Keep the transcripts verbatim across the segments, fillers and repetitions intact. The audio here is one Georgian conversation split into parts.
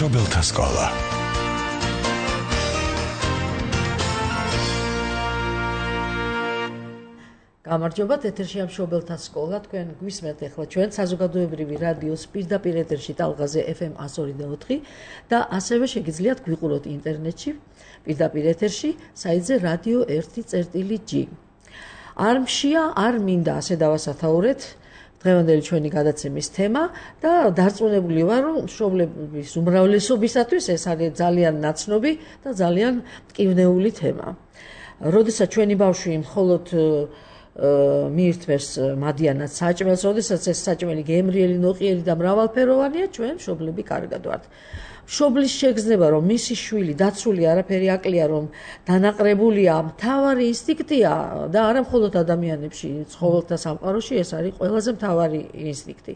მშობელთა სკოლა. გამარჯობათ, ეთერშია მშობელთა სკოლა. თქვენ გვისმენთ ახლა ჩვენ საზოგადოებრივი რადიოს პირდაპირ ეთერში ტალღაზე ეფ ემ one oh four point four და ასევე შეგიძლიათ გვიყუროთ ინტერნეტში პირდაპირ ეთერში საიტზე რადიო one წერტილი ჯი. არ მშია, არ მინდა ასე დავასათაურეთ დღევანდელი ჩვენი გადაცემის თემა და დარწმუნებული ვარ, რომ მშობლების უმრავლესობისათვის ეს არის ძალიან ნაცნობი და ძალიან მტკივნეული თემა. როდესაც ჩვენი ბავშვი მხოლოდ მიირთმევს მადიანად საჭმელს, როდესაც ეს საჭმელი გემრიელი, ნოყიერი და მრავალფეროვანია, ჩვენ მშობლები კარგად ვართ. მშობლის შეგრძნება, რომ მისი შვილი დაცული არაფერი აკლია, რომ დანაყრებულია, მთავარი ინსტინქტია და არა მხოლოდ ადამიანებში, ცხოველთა სამყაროში ეს არის ყველაზე მთავარი ინსტინქტი.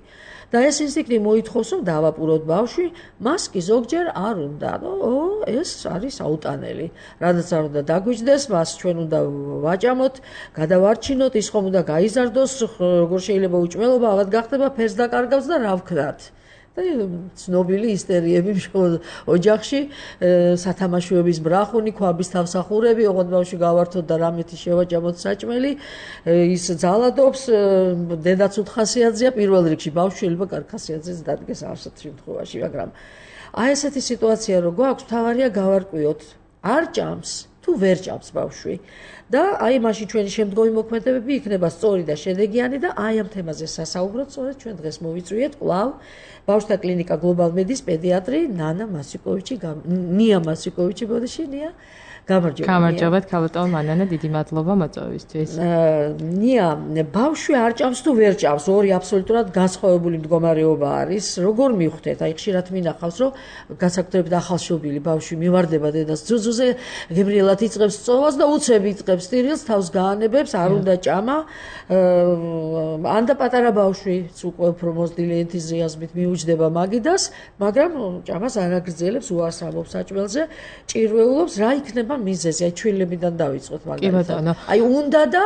და ეს ინსტინქტი მოითხოვს, რომ დავაპუროთ ბავშვი, მას კი ზოგჯერ არ უნდა. ო, ეს არის აუტანელი. რადგან არ უნდა დაგვიჯდეს, მას ჩვენ უნდა ვაჭამოთ, გადავარჩინოთ, ის ხომ უნდა გაიზარდოს, როგორ შეიძლება უჭმელობა, ავად გახდება, ფერს დაკარგავს და რა ვქნათ. და ცნობილი ისტერიები ოჯახში, სათამაშოების ბრახუნი, ქვაბის თავსახურები, ოღონდ ბავშვი გავართოთ და რამეთი შევაჭამოთ საჭმელი, ის ძალადობს, დედაც უთხასიათზეა, პირველ რიგში ბავშვი შეიძლება კარგ ხასიათზეც დადგეს ასეთ შემთხვევაში, მაგრამ აი ესეთი სიტუაცია რო გვაქვს, მთავარია გავარკვიოთ, არ ჭამს თუ ვერ ჭამს ბავშვი. და აი მაშინ ჩვენი შემდგომი მოქმედებები იქნება სწორი და შედეგიანი და აი ამ თემაზე სასაუბროთ სწორედ ჩვენ დღეს მოვიწვიეთ კვლავ ბავშვთა კლინიკა გლობალ მედის პედიატრი ნანა მასიკოვიჩი, ნია მასიკოვიჩი, ბოდიში ნია. გამარჯობა. გამარჯობათ, ქალბატონო მანანა, დიდი მადლობა მოწვევისთვის. ნია, ბავშვი არ ჭამს თუ ვერ ჭამს, ორი აბსოლუტურად განსხვავებული მდგომარეობა არის. როგორ მივხვდეთ? აი ხშირად მინახავს, რომ განსაკუთრებით ახალშობილი ბავშვი მივარდება დედას ძუძუზე, გემრიელად იწყებს წოვას და უცებ იწყებს ტირილს, თავს გაანებებს, არ უნდა ჭამა. ან და პატარა ბავშვიც უკვე უფრო მოზრდილი ენთუზიაზმით მიუჯდება მაგიდას, მაგრამ ჭამას არ აგრძელებს, უარსამობს საჭმელზე, ჭირვეულობს, რა იქნება მიზეზი, აი ჩვილებიდან დავიწყოთ მაგალითად. აი უნდა და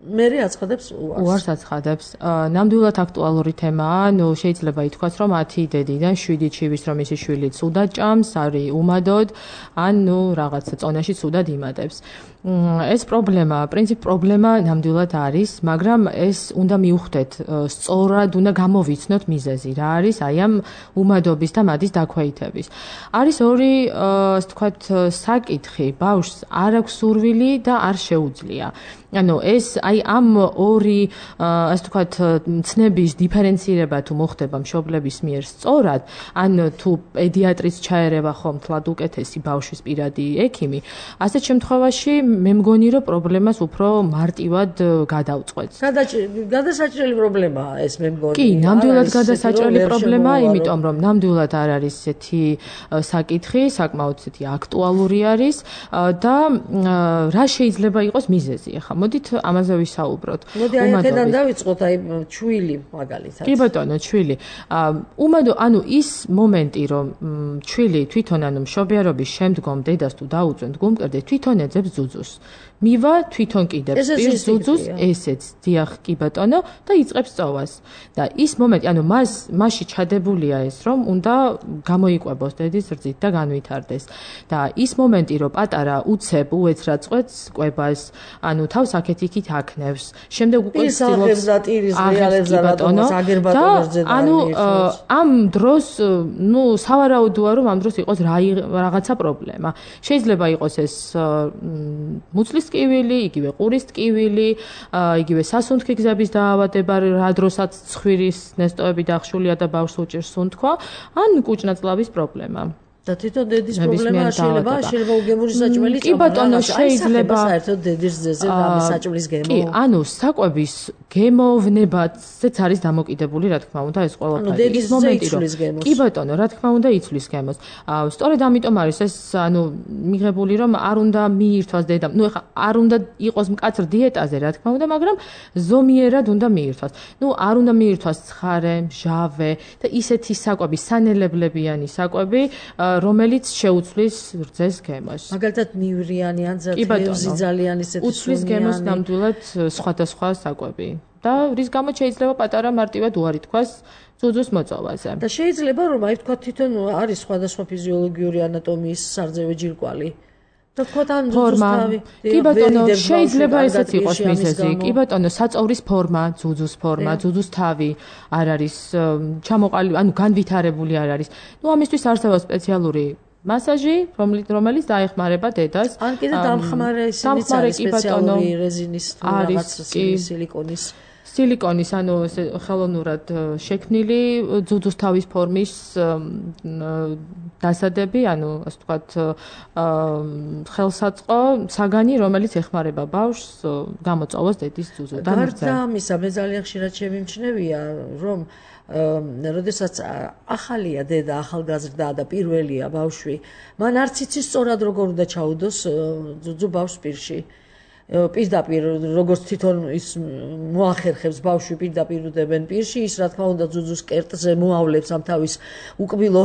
მერე აცხადებს უარს. უარს აცხადებს. ნამდვილად აქტუალური თემაა, ნუ შეიძლება ითქვას, რომ ათი დედიდან შვიდი ჩივის, რომ ისი შვილი ცუდად ჭამს, არის უმადოდ, ან ნუ რაღაცა წონაში ცუდად იმატებს. ეს პრობლემა, პრინციპ პრობლემა ნამდვილად არის, მაგრამ ეს უნდა მივხვდეთ, სწორად უნდა გამოვიცნოთ მიზეზი, რა არის აი ამ უმადობის და მადის დაქვეითების. არის ორი, ასე ვთქვათ, საკითხი, ბავშვს არ აქვს სურვილი და არ შეუძლია. ანუ ეს აი ამ ორი, ასე ვთქვათ, ცნების დიფერენცირება თუ მოხდება მშობლების მიერ სწორად, ან თუ პედიატრის ჩაერევა ხომ თლად უკეთესი ბავშვის პირადი ექიმი, ასეთ შემთხვევაში მე მგონი, რომ პრობლემას უფრო მარტივად გადავწყვეტს. გადასაჭრელი პრობლემაა ეს მე მგონი. კი, ნამდვილად გადასაჭრელი პრობლემაა, იმიტომ რომ ნამდვილად არ არის ესეთი საკითხი, საკმაოდ ესეთი აქტუალური არის და რა შეიძლება იყოს მიზეზი. ახლა მოდით ამაზე ვისაუბროთ. მოდი აი აქედან დავიწყოთ, აი ჩვილი მაგალითად. კი ბატონო, ჩვილი. უმადო, ანუ ის მომენტი, რომ ჩვილი თვითონ ანუ მშობიარობის შემდგომ დედას თუ დაუწვენთ გულმკერდე, თვითონ ეძებს ძუძუს. მივა თვითონ კიდევ პირ ძუძუს ესეც, დიახ, კი ბატონო, და იწყებს წოვას. და ის მომენტი, ანუ მას მასში ჩადებულია ეს, რომ უნდა გამოიკვებოს დედის რძით და განვითარდეს. და ის მომენტი, რომ პატარა უცებ უეცრად წყვეტს კვებას, ანუ თავს აქეთ-იქით აქნევს. შემდეგ უკვე ცდილობს და ტირის რეალებს და რატომაც აგერბატონებს ძედა. ანუ ამ დროს, ნუ სავარაუდოა, რომ ამ დროს იყოს რაღაცა პრობლემა. შეიძლება იყოს ეს მუცლის ტკივილი, იგივე ყურის ტკივილი, იგივე სასუნთქი გზების დაავადება, რა დროსაც ცხვირის ნესტოები დახშულია და ბავშვს უჭირს სუნთქვა, ან კუჭნაწლავის პრობლემა. და თვითონ დედის პრობლემა შეიძლება, შეიძლება უგემური საჭმელი წავა. კი ბატონო, შეიძლება საერთოდ დედის ძეზე რამე საჭმლის გემო. კი, ანუ საკვების გემოვნებაცაც არის დამოკიდებული, რა თქმა უნდა, ეს ყველაფერი. ის მომენტი, რომ კი ბატონო, რა თქმა უნდა, იცვლის გემოს. სწორედ ამიტომ არის ეს, ანუ მიღებული, რომ არ უნდა მიირთვას დედამ. ნუ ეხლა არ უნდა იყოს მკაცრ დიეტაზე, რა თქმა უნდა, მაგრამ ზომიერად უნდა მიირთვას. ნუ არ უნდა მიირთვას ცხარე, მჟავე და ისეთი საკვები, სანელებლებიანი საკვები, რომელიც შეუცვლის რძეს გემოს. მაგალითად მივრიანი ან ძირითადად ძალიან ისეთი უცვლის გემოს ნამდვილად სხვადასხვა საკვები. და რის გამოც შეიძლება პატარა მარტივად უარი თქვას ძუძუს მოწოვაზე. და შეიძლება რომ აი თქვა თვითონ არის სხვადასხვა ფიზიოლოგიური ანატომიის სარძევე ჯირკვალი. და თქვა თან ძუძუს თავი. კი ბატონო, შეიძლება ესეც იყოს მიზეზი. კი ბატონო, საწოვრის ფორმა, ძუძუს ფორმა, ძუძუს თავი არ არის ჩამოყალიბებული, ანუ განვითარებული არ არის. ნუ ამისთვის არსებობს სპეციალური მასაჟი, რომელიც დაეხმარება დედას. ან კიდე დამხმარე ისინიც არის სპეციალური რეზინის თუ რაღაც სილიკონის სილიკონის, ანუ ხელოვნურად შექმნილი ძუძუს თავის ფორმის დასადები, ანუ ასე ვთქვათ, ხელსაწყო საგანი, რომელიც ეხმარება ბავშვს გამოწოვოს დედის ძუძუდან. გარდა ამისა, მე ძალიან ხშირად შემიმჩნევია, რომ როდესაც ახალია დედა, ახალგაზრდა და პირველია ბავშვი, მან არც იცის სწორად როგორ უნდა ჩაუდოს ძუძუ ბავშვს პირში. პირდაპირ როგორც თვითონ ის მოახერხებს ბავშვი პირდაპირ უდებენ პირში, ის რა თქმა უნდა ძუძუს კერტზე მოავლებს ამ თავის უკბილო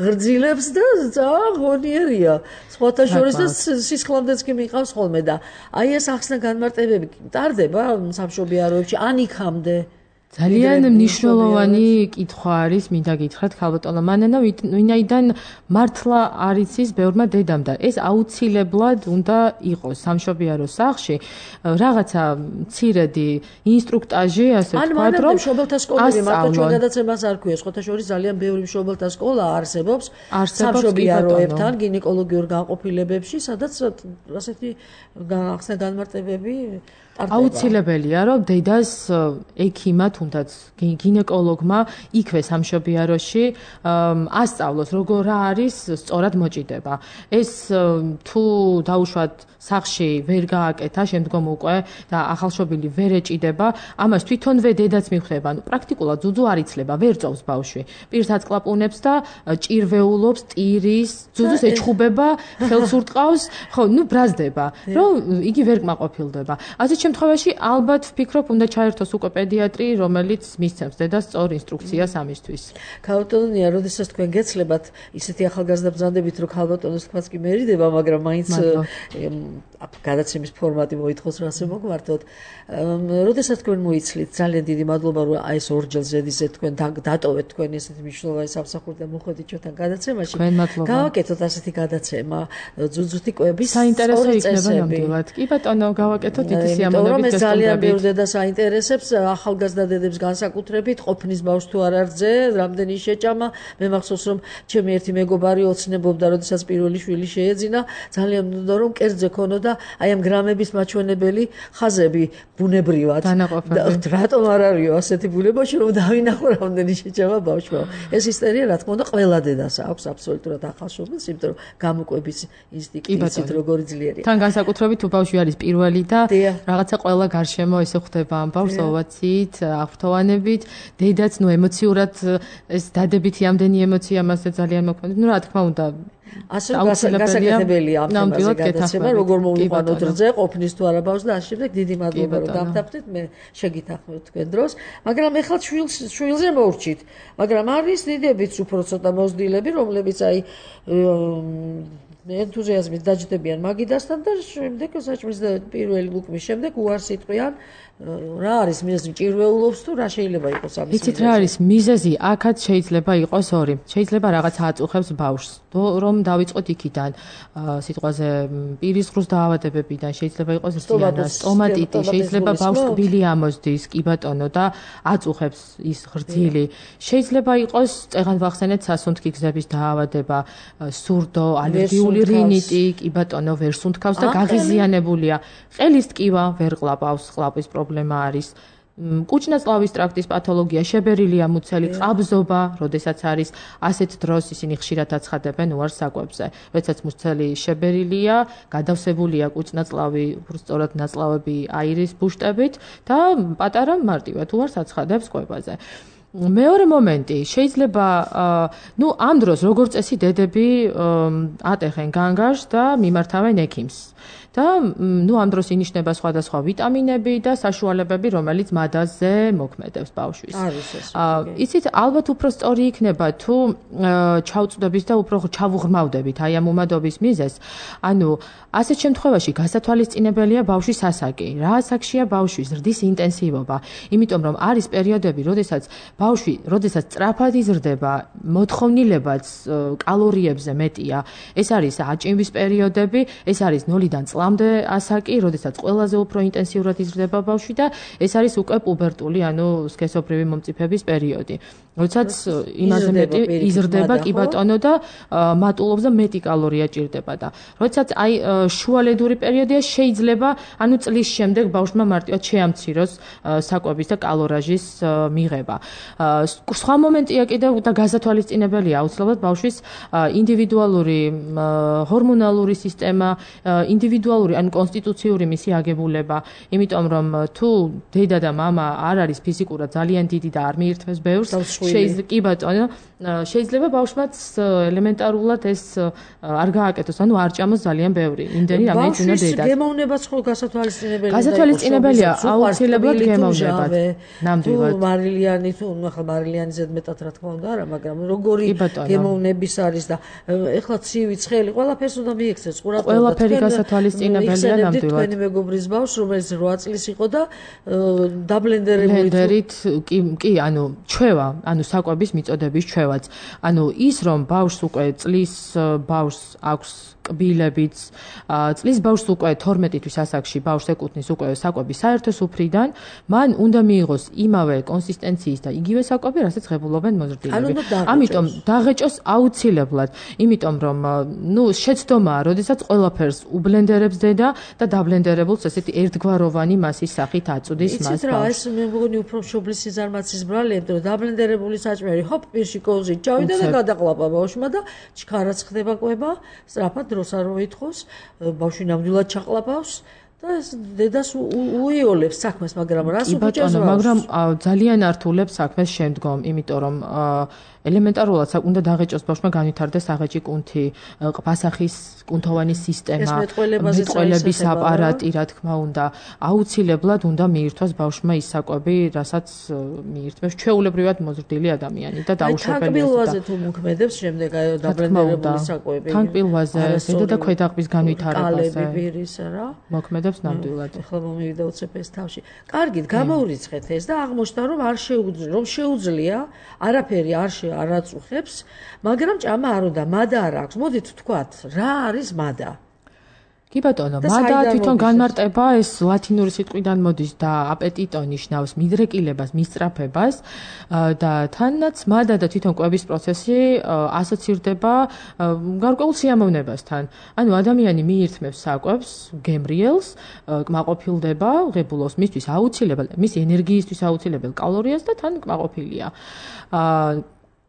ღრძილებს და ძალიან ღონიერია. სხვათა შორის და სისხლამდეც კი მიყავს ხოლმე და აი ეს ახსნა განმარტებები ტარდება სამშობიაროებში ან იქამდე. ძალიან მნიშვნელოვანი კითხვა არის, მინდა გითხრათ ქალბატონო მანანა, ვინაიდან მართლა არ იცის ბევრმა დედამ და ეს აუცილებლად უნდა იყოს სამშობიარო სახლში რაღაცა მცირედი ინსტრუქტაჟი, ასე ვთქვათ, რომ ან მშობელთა სკოლები მარტო ჩვენ გადაცემას არ ქვია, სხვათა შორის ძალიან ბევრი მშობელთა სკოლა არსებობს სამშობიაროებთან გინეკოლოგიურ განყოფილებებში, სადაც ასეთი ახსნა განმარტებები აუცილებელია, რომ დედას ექიმა თუნდაც გინეკოლოგმა იქვე სამშობიაროში ასწავლოს, როგორ არის სწორად მოჭიდება. ეს თუ დაუშვათ სახლში ვერ გააკეთა, შემდგომ უკვე და ახალშობილი ვერ ეჭიდება, ამას თვითონვე დედაც მიხვდება. ანუ პრაქტიკულად ძუძუ არ იცლება, ვერ წოვს ბავშვი. პირსაც კლაპუნებს და ჭირვეულობს, ტირის, ძუძუს ეჩხუბება, ხელს ურტყავს, ხო, ნუ ბრაზდება, რომ იგი ვერ კმაყოფილდება. ასეთ შემთხვევაში ალბათ ვფიქრობ, უნდა ჩაერთოს უკვე პედიატრი, რომელიც მისცემს დედას სწორ ინსტრუქციას ამისთვის. ქალბატონია, როდესაც თქვენ გეცლებათ ისეთი ახალგაზრდა ბრძანდებით, რომ ქალბატონოს თქვაც კი მერიდება, მაგრამ მაინც გადაცემის ფორმატი მოითხოვს, რომ ასე მოგვართოთ. როდესაც თქვენ მოიცლით, ძალიან დიდი მადლობა, რომ აი ეს ორჯერ ზედიზეთ თქვენ დატოვეთ თქვენ ესეთი მნიშვნელოვანი სამსახური და მოხვედით ჩვენთან გადაცემაში. გავაკეთოთ ასეთი გადაცემა, ძუძუთი კვების საინტერესო იქნება ნამდვილად. კი ბატონო, გავაკეთოთ დიდი სიამოვნებით და ძალიან ბევრ დედას აინტერესებს ახალგაზრდა დედებს განსაკუთრებით ყოფნის ბავშვს თუ არ არძე, რამდენი შეჭამა. მე მახსოვს რომ ჩემი ერთი მეგობარი ოცნებობდა, როდესაც პირველი შვილი შეეძინა, ძალიან უნდა რომ კერძზე ქონოდა აი ამ გრამების მაჩვენებელი ხაზები ბუნებრივად. რატომ არ არისო ასეთი ბუნებაში რომ დავინახო რამდენი შეჭამა ბავშვმა. ეს ისტერია რა თქმა უნდა ყველა დედას აქვს აბსოლუტურად ახალშობილს, იმიტომ რომ გამოკვების ინსტინქტით როგორი ძლიერია. თან განსაკუთრებით თუ ბავშვი არის პირველი და რაღაცა ყველა გარშემო ესე ხვდება ამ ბავშვს ოვაციით, აღფრთოვანებით, დედაც ნუ ემოციურად ეს დადებითი ამდენი ემოცია მასზე ძალიან მოქმედებს. ნუ რა თქმა უნდა ასე გასაკეთებელია ამ თემაზე გადაცემა, როგორ მოვიყვანოთ რძე, ყოფნის თუ არა ბავშვს და ამ შემდეგ დიდი მადლობა რომ დამთავრდით, მე შეგითანხმებთ თქვენ დროს, მაგრამ ეხლა შვილს შვილზე მოვრჩით, მაგრამ არის დიდებიც უფრო ცოტა მოზრდილები, რომლებიც აი ენთუზიაზმით დაჯდებიან მაგიდასთან და შემდეგ საჭმლის და პირველი ლუკმის შემდეგ უარს იტყვიან რა არის მიზეზი ჭირვეულობს თუ რა შეიძლება იყოს ამის მიზეზი. იცით რა არის მიზეზი? აქაც შეიძლება იყოს ორი. შეიძლება რაღაცა აწუხებს ბავშვს, რომ დავიწყოთ იქიდან სიტყვაზე პირის ღრუს დაავადებებიდან, შეიძლება იყოს ზიანა, სტომატიტი, შეიძლება ბავშვს კბილი ამოსდის, კი ბატონო და აწუხებს ის ღრძილი. შეიძლება იყოს წეღან ვახსენეთ სასუნთქი გზების დაავადება, სურდო, ალერგიული რინიტი, კი ბატონო ვერ სუნთქავს და გაღიზიანებულია. ყელის ტკივა ვერ ყლაპავს, ყლაპის პრობლემა არის. კუჭნაწლავის ტრაქტის პათოლოგია, შებერილია მუცელი, ყაბზობა, როდესაც არის ასეთ დროს ისინი ხშირად აცხადებენ უარს საკვებზე. როდესაც მუცელი შებერილია, გადავსებულია კუჭნაწლავი, უბრალოდ ნაწლავები აირის ბუშტებით და პატარა მარტივად უარს აცხადებს კვებაზე. მეორე მომენტი, შეიძლება ნუ ამ დროს როგორც წესი დედები ატეხენ განგარს და მიმართავენ ექიმს. და ნუ ამ დროს ინიშნება სხვადასხვა ვიტამინები და საშუალებები, რომელიც მადაზე მოქმედებს ბავშვის. არის ეს. იცით, ალბათ უფრო სწორი იქნება თუ ჩავწვდებით და უფრო ჩავუღრმავდებით აი ამ უმადობის მიზეზს. ანუ ასეთ შემთხვევაში გასათვალისწინებელია ბავშვის ასაკი. რა ასაკშია ბავშვი, ზრდის ინტენსივობა. იმიტომ რომ არის პერიოდები, როდესაც ბავშვი, როდესაც სწრაფად იზრდება, მოთხოვნილებაც კალორიებზე მეტია. ეს არის აჭიმვის პერიოდები, ეს არის ნულიდან წლამდე ასაკი, როდესაც ყველაზე უფრო ინტენსიურად იზრდება ბავშვი და ეს არის უკვე პუბერტული, ანუ სქესობრივი მომწიფების პერიოდი. როდესაც იმაზე მეტი იზრდება კი ბატონო და მატულობს და მეტი კალორია ჭირდება და როდესაც აი შუალედური პერიოდია შეიძლება ანუ წლის შემდეგ ბავშვმა მარტივად შეამციროს საკვების და კალორაჟის მიღება. სხვა მომენტია კიდევ და გასათვალისწინებელია აუცილებლად ბავშვის ინდივიდუალური ჰორმონალური სისტემა, ინდივიდუალური ან კონსტიტუციური მისი აგებულება, იმიტომ რომ თუ დედა და მამა არ არის ფიზიკურად ძალიან დიდი და არ მიირთმევს ბევრს, შეიძლება კი ბატონო, შეიძლება ბავშვმაც ელემენტარულად ეს არ გააკეთოს, ანუ არ ჭამოს ძალიან ბევრი. იმდენი რამეც უნდა დედას. ბავშვის გემოვნებაც ხო გასათვალისწინებელია. გასათვალისწინებელია, აუცილებლად გემოვნებათ. ნამდვილად. თუ მარილიანი, თუ ახლა მარილიანი ზედმეტად რა თქმა უნდა არა, მაგრამ როგორი გემოვნების არის და ეხლა ცივი, ცხელი, ყველაფერს უნდა მიექცეს ყურადღება. ყველაფერი გასათვალისწინებელია ნამდვილად. თქვენი მეგობრის ბავშვს, რომელიც რვა წლის იყო და დაბლენდერებული ბლენდერით კი კი, ანუ ჩვევა, ანუ საკვების მიწოდების ჩვევაც. ანუ ის რომ ბავშვს უკვე წლის ბავშვს აქვს კბილებიც, წლის ბავშვს უკვე თორმეტი თვის ასაკში ბავშვს ეკუთვნის უკვე საკვები საერთო სუფრიდან, მან უნდა მიიღოს იმავე კონსისტენციის და იგივე საკვები, რასაც ღებულობენ მოზრდილები. ამიტომ დაღეჭოს აუცილებლად, იმიტომ რომ ნუ შეცდომაა, როდესაც ყველაფერს უბლენდერებს დედა და დაბლენდერებულს ესეთი ერთგვაროვანი მასის სახით აწვდის მას. იცით რა, ეს მე მგონი უფრო მშობლის სიზარმაცის ბრალია, რომ დაბლენდერებული საჭმელი ჰოპ პირში კოვზი ჩავიდა და გადაყლაპა ბავშვმა და ჩქარაც ხდება კვება, სწრაფად დროს არ მოითხოვს, ბავშვი ნამდვილად ჩაყლაპავს და ეს დედას უიოლებს საქმეს, მაგრამ რას უჭერს ბავშვს? მაგრამ ძალიან ართულებს საქმეს შემდგომ, იმიტომ რომ ელემენტარულად უნდა დაღეჭოს ბავშვმა განვითარდეს აღეჭი კუნთი, ყბასახის კუნთოვანი სისტემა, მეტყველების აპარატი, რა თქმა უნდა, აუცილებლად უნდა მიირთვას ბავშვმა ის საკვები, რასაც მიირთმევს ჩვეულებრივად მოზრდილი ადამიანი და დაუშვებელი. თანკბილვაზე თუ მოქმედებს შემდეგ აი დაბლენდერებული საკვები. თანკბილვაზე, ზედა და ქვედაყბის განვითარებაზე. კალები ბირის რა? მოქმედებს ნამდვილად. ახლა მომივიდა უცებ ეს თავში. კარგით, გამოვრიცხეთ ეს და აღმოჩნდა რომ არ შეუძლია, რომ შეუძლია, არაფერი არ შე არ აწუხებს, მაგრამ ჭამა არ უნდა, მადა არ აქვს. მოდით ვთქვათ, რა არის მადა? კი ბატონო, მადა თვითონ განმარტება ეს ლათინური სიტყვიდან მოდის და აპეტიტო ნიშნავს მიდრეკილებას, მისწრაფებას და თანაც მადა და თვითონ კვების პროცესი ასოცირდება გარკვეულ სიამოვნებასთან. ანუ ადამიანი მიირთმევს საკვებს, გემრიელს, კმაყოფილდება, ღებულობს მისთვის აუცილებელ, მის ენერგიისთვის აუცილებელ კალორიას და თან კმაყოფილია.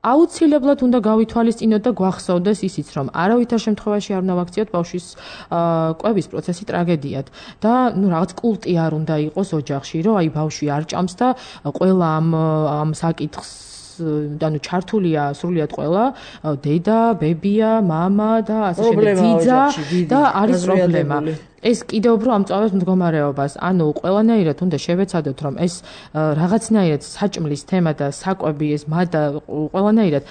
აუცილებლად უნდა გავითვალისწინოთ და გვახსოვდეს ისიც, რომ არავითარ შემთხვევაში არ უნდა ვაქციოთ ბავშვის კვების პროცესი ტრაგედიად და ნუ რაღაც კულტი არ უნდა იყოს ოჯახში, რომ აი ბავშვი არ ჭამს და ყველა ამ ამ საკითხს ანუ ჩართულია სრულიად ყველა დედა, ბებია, მამა და ასე შემდეგ, ძიძა და არის პრობლემა. ეს კიდევ უფრო ამწვავებს მდგომარეობას. ანუ ყველანაირად უნდა შევეცადოთ, რომ ეს რაღაცნაირად საჭმლის თემა და საკვები ეს მადა ყველანაირად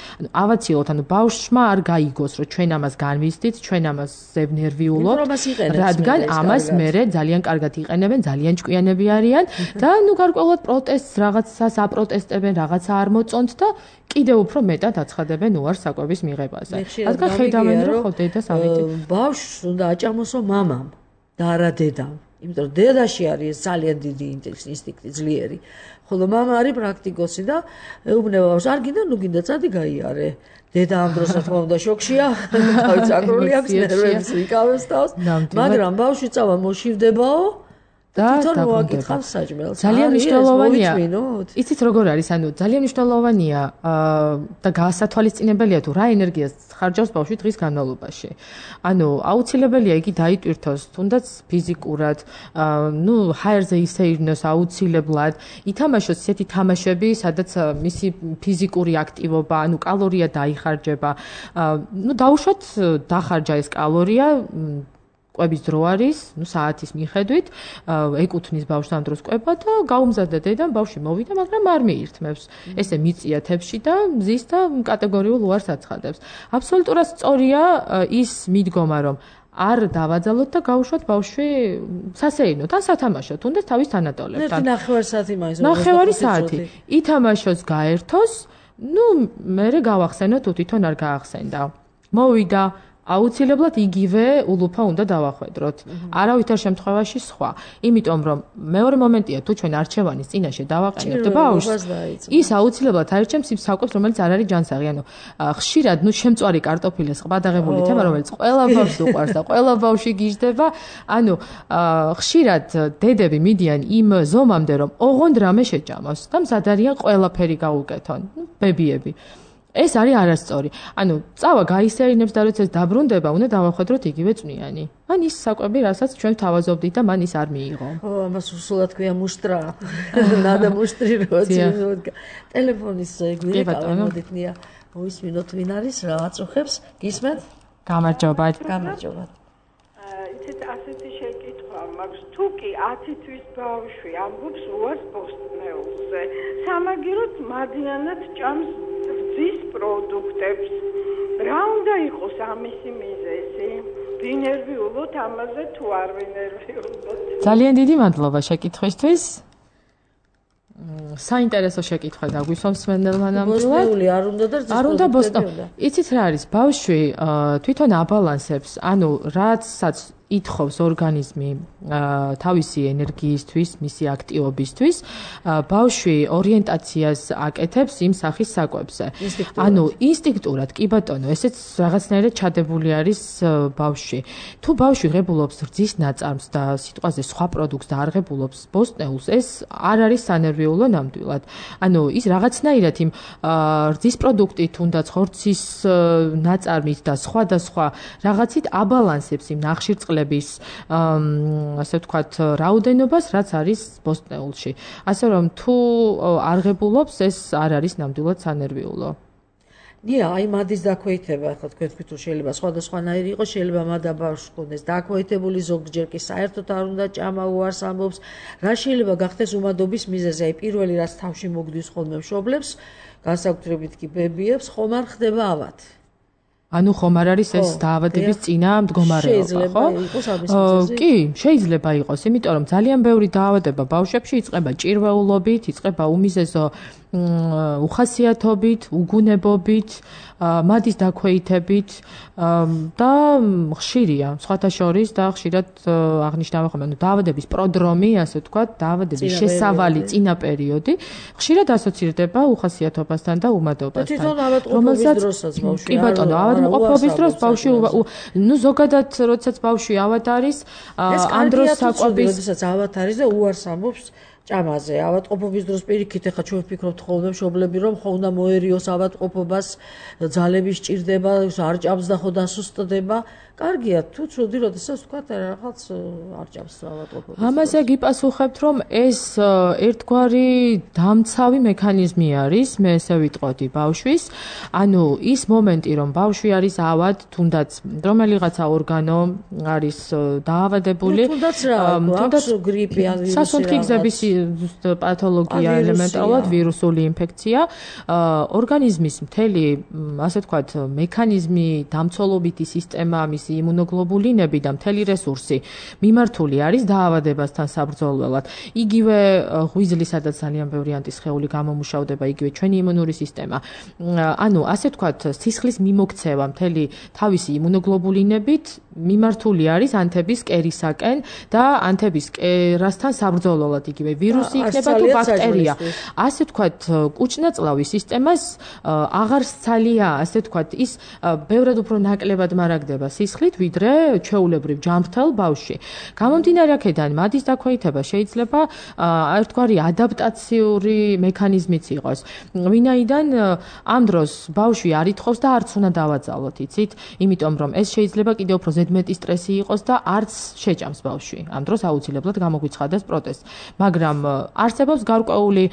ავაცილოთ, ანუ ბავშვმა არ გაიგოს, რომ ჩვენ ამას განვიცდით, ჩვენ ამას ზევნერვიულობთ, რადგან ამას მერე ძალიან კარგად იყენებენ, ძალიან ჭკვიანები არიან და ნუ გარკვეულად პროტესტს რაღაცას აპროტესტებენ, რაღაცა არ მოწონთ და კიდევ უფრო მეტად აცხადებენ უარს საკვების მიღებაზე. რადგან ხედავენ, რომ ხო დედას ავიდეთ. ბავშვს უნდა აჭამოსო მამამ და არა დედამ. იმიტომ რომ დედაში არის ძალიან დიდი ინსტინქტი ძლიერი. ხოლო მამა არის პრაქტიკოსი და ეუბნება ბავშვს, არ გინდა, ნუ გინდა წადი გაიარე. დედა ამ დროს რა თქმა უნდა შოქშია, თავი წაკრული აქვს, ნერვებს იკავებს თავს, მაგრამ ბავშვი წავა მოშივდებაო და მოაკითხავს საჭმელს. ძალიან მნიშვნელოვანია. იცით როგორ არის, ანუ ძალიან მნიშვნელოვანია და გასათვალისწინებელია თუ რა ენერგიას ხარჯავს ბავშვი დღის განმავლობაში. ანუ აუცილებელია იგი დაიტვირთოს, თუნდაც ფიზიკურად, ნუ ჰაერზე ისეირნოს აუცილებლად, ითამაშოს ისეთი თამაშები, სადაც მისი ფიზიკური აქტივობა, ანუ კალორია დაიხარჯება. ნუ დაუშვათ დახარჯა ეს კალორია კვების დრო არის, ნუ საათის მიხედვით, ეკუთვნის ბავშვს ამ დროს კვება და გაუმზადდა დედამ, ბავშვი მოვიდა, მაგრამ არ მიირთმევს. ესე მიწია თებში და მზის და კატეგორიულ უარს აცხადებს. აბსოლუტურად სწორია ის მიდგომა, რომ არ დავაძალოთ და გავუშვათ ბავშვი სასეირნოდ ან სათამაშოდ, თუნდაც თავის თანატოლებთან. ერთი ნახევარი საათი მაინც. ნახევარი საათი. ითამაშოს, გაერთოს, ნუ მერე გავახსენოთ, თუ თვითონ არ გაახსენდა. მოვიდა აუცილებლად იგივე ულუფა უნდა დავახვედროთ. არავითარ შემთხვევაში სხვა. იმიტომ რომ მეორე მომენტია თუ ჩვენ არჩევანის წინაშე დავაყენებთ ბავშვს, ის აუცილებლად აირჩევს იმ საკვებს, რომელიც არ არის ჯანსაღი. ანუ ხშირად ნუ შემწვარი კარტოფილის ყბადაღებული თემა, რომელიც ყველა ბავშვს უყვარს და ყველა ბავშვი გიждდება. ანუ ხშირად დედები მიდიან იმ ზომამდე, რომ ოღონდ რამე შეჭამოს და მზად არიან ყველაფერი გაუკეთონ. ნუ ბებიები. ეს არის არასწორი. ანუ წავა გაისერინებს და როცა ეს დაბრუნდება, უნდა დავახვედროთ იგივე წვნიანი. ან ის საკვები, რასაც ჩვენ თავაზობდით და მან ის არ მიიღო. ო, ამას უსულად ქვია მუშტრა. ნადა მუშტრი როცა. ტელეფონის გვერდზე მოდით ნია. მოისმინოთ ვინ არის, რა აწუხებს? გისმენთ? გამარჯობა. გამარჯობა. იცით ასეთი შეკითხვა მაქვს, თუ კი ათი თვის ბავშვი ამბობს უარს ბოსტნეულზე, სამაგიეროდ მადიანად ჭამს ძის პროდუქტებს. რა უნდა იყოს ამისი მიზეზი? ვინერვიულოთ ამაზე თუ არ ვინერვიულოთ? ძალიან დიდი მადლობა შეკითხვისთვის. საინტერესო შეკითხვა დაგვისვამს მენდელმა ნამდვილად. ბოსტნეული არ უნდა და არ უნდა ბოსტნეული. იცით რა არის? ბავშვი თვითონ აბალანსებს, ანუ რაცაც ითხოვს ორგანიზმი თავისი ენერგიისთვის, მისი აქტივობისთვის, ბავშვი ორიენტაციას აკეთებს იმ სახის საკვებზე. ანუ ინსტინქტურად, კი ბატონო, ესეც რაღაცნაირად ჩადებული არის ბავშვი. თუ ბავშვი ღებულობს რძის ნაწარმს და სიტყვაზე სხვა პროდუქტს და არ ღებულობს ბოსტნეულს, ეს არ არის სანერვიულო ნამდვილად. ანუ ის რაღაცნაირად იმ რძის პროდუქტით, თუნდაც ხორცის ნაწარმით და სხვა და სხვა რაღაცით აბალანსებს იმ ნახშირწყლებს ასე ვთქვათ, რაოდენობას, რაც არის ბოსტნეულში. ასე რომ თუ არ ღებულობს, ეს არ არის ნამდვილად სანერვიულო. ნია, აი მადის დაქვეითება, ახლა თქვენ თქვით, რომ შეიძლება სხვადასხვანაირი იყოს, შეიძლება მადა ბავშვს ჰქონდეს დაქვეითებული, ზოგჯერ კი საერთოდ არ უნდა ჭამა, უარს ამბობს. რა შეიძლება გახდეს უმადობის მიზეზი? აი პირველი რაც თავში მოგდის ხოლმე მშობლებს, განსაკუთრებით კი ბებიებს, ხომ არ ხდება ავად? ანუ ხომ არ არის ეს დაავადების წინა მდგომარეობა, ხო? კი, შეიძლება იყოს, იმიტომ რომ ძალიან ბევრი დაავადება ბავშვებში იწყება ჭირვეულობით, იწყება უმიზეზო უხასიათობით, უგუნებობით, მადის დაქვეითებით და ხშირია, სხვათა შორის და ხშირად აღნიშნავენ ხოლმე, ანუ დაავადების პროდრომი, ასე ვთქვათ, დაავადების შესავალი წინა პერიოდი, ხშირად ასოცირდება უხასიათობასთან და უმადობასთან. თვითონ ავადმყოფობის დროსაც ბავშვი. კი ბატონო, ავადმყოფობის დროს ბავშვი, ნუ ზოგადად, როდესაც ბავშვი ავად არის, ამ დროს საკვები, როდესაც ავად არის და უარს ამბობს ჭამაზე. ავადმყოფობის დროს პირიქით ახლა ჩვენ ვფიქრობთ ხოლმე მშობლები, რომ ხო უნდა მოერიოს ავადმყოფობას, ძალები სჭირდება, არ ჭამს და ხო დასუსტდება. კარგია, თუ ცუდი, როდესაც ვთქვათ, რაღაც არ ჭამს ავადმყოფობას. ამაზე გიპასუხებთ, რომ ეს ერთგვარი დამცავი მექანიზმი არის, მე ესე ვიტყოდი ბავშვის. ანუ ის მომენტი, რომ ბავშვი არის ავად, თუნდაც რომელიღაცა ორგანო არის დაავადებული, თუნდაც რა, თუნდაც გრიპი ან ვირუსი, სასუნთქი გზების პათოლოგია, ელემენტარულად ვირუსული ინფექცია, ორგანიზმის მთელი, ასე ვთქვათ, მექანიზმი, დამცველობითი სისტემა, მისი იმუნოგლობულინები და მთელი რესურსი მიმართული არის დაავადებასთან საბრძოლველად. იგივე ღვიძლი, სადაც ძალიან ბევრი ანტისხეული გამომუშავდება, იგივე ჩვენი იმუნური სისტემა. ანუ, ასე ვთქვათ, სისხლის მიმოქცევა მთელი თავისი იმუნოგლობულინებით მიმართული არის ანთების კერისაკენ და ანთების კერასთან საბრძოლველად, იგივე ვირუსი იქნება თუ ბაქტერია. ასე ვთქვათ, კუჭნაწლავის სისტემას აღარ სცალია, ასე ვთქვათ, ის ბევრად უფრო ნაკლებად მარაგდება სისხლით, ვიდრე ჩვეულებრივ ჯანმრთელ ბავშვში. გამომდინარე აქედან, მადის დაქვეითება შეიძლება ერთგვარი ადაპტაციური მექანიზმიც იყოს. ვინაიდან ამ დროს ბავშვი არ ითხოვს და არც უნდა დავაძალოთ, იცით? იმიტომ რომ ეს შეიძლება კიდევ უფრო ზედმეტი სტრესი იყოს და არც შეჭამს ბავშვი. ამ დროს აუცილებლად გამოგვიცხადეს პროტეზი. მაგრამ არსებობს გარკვეული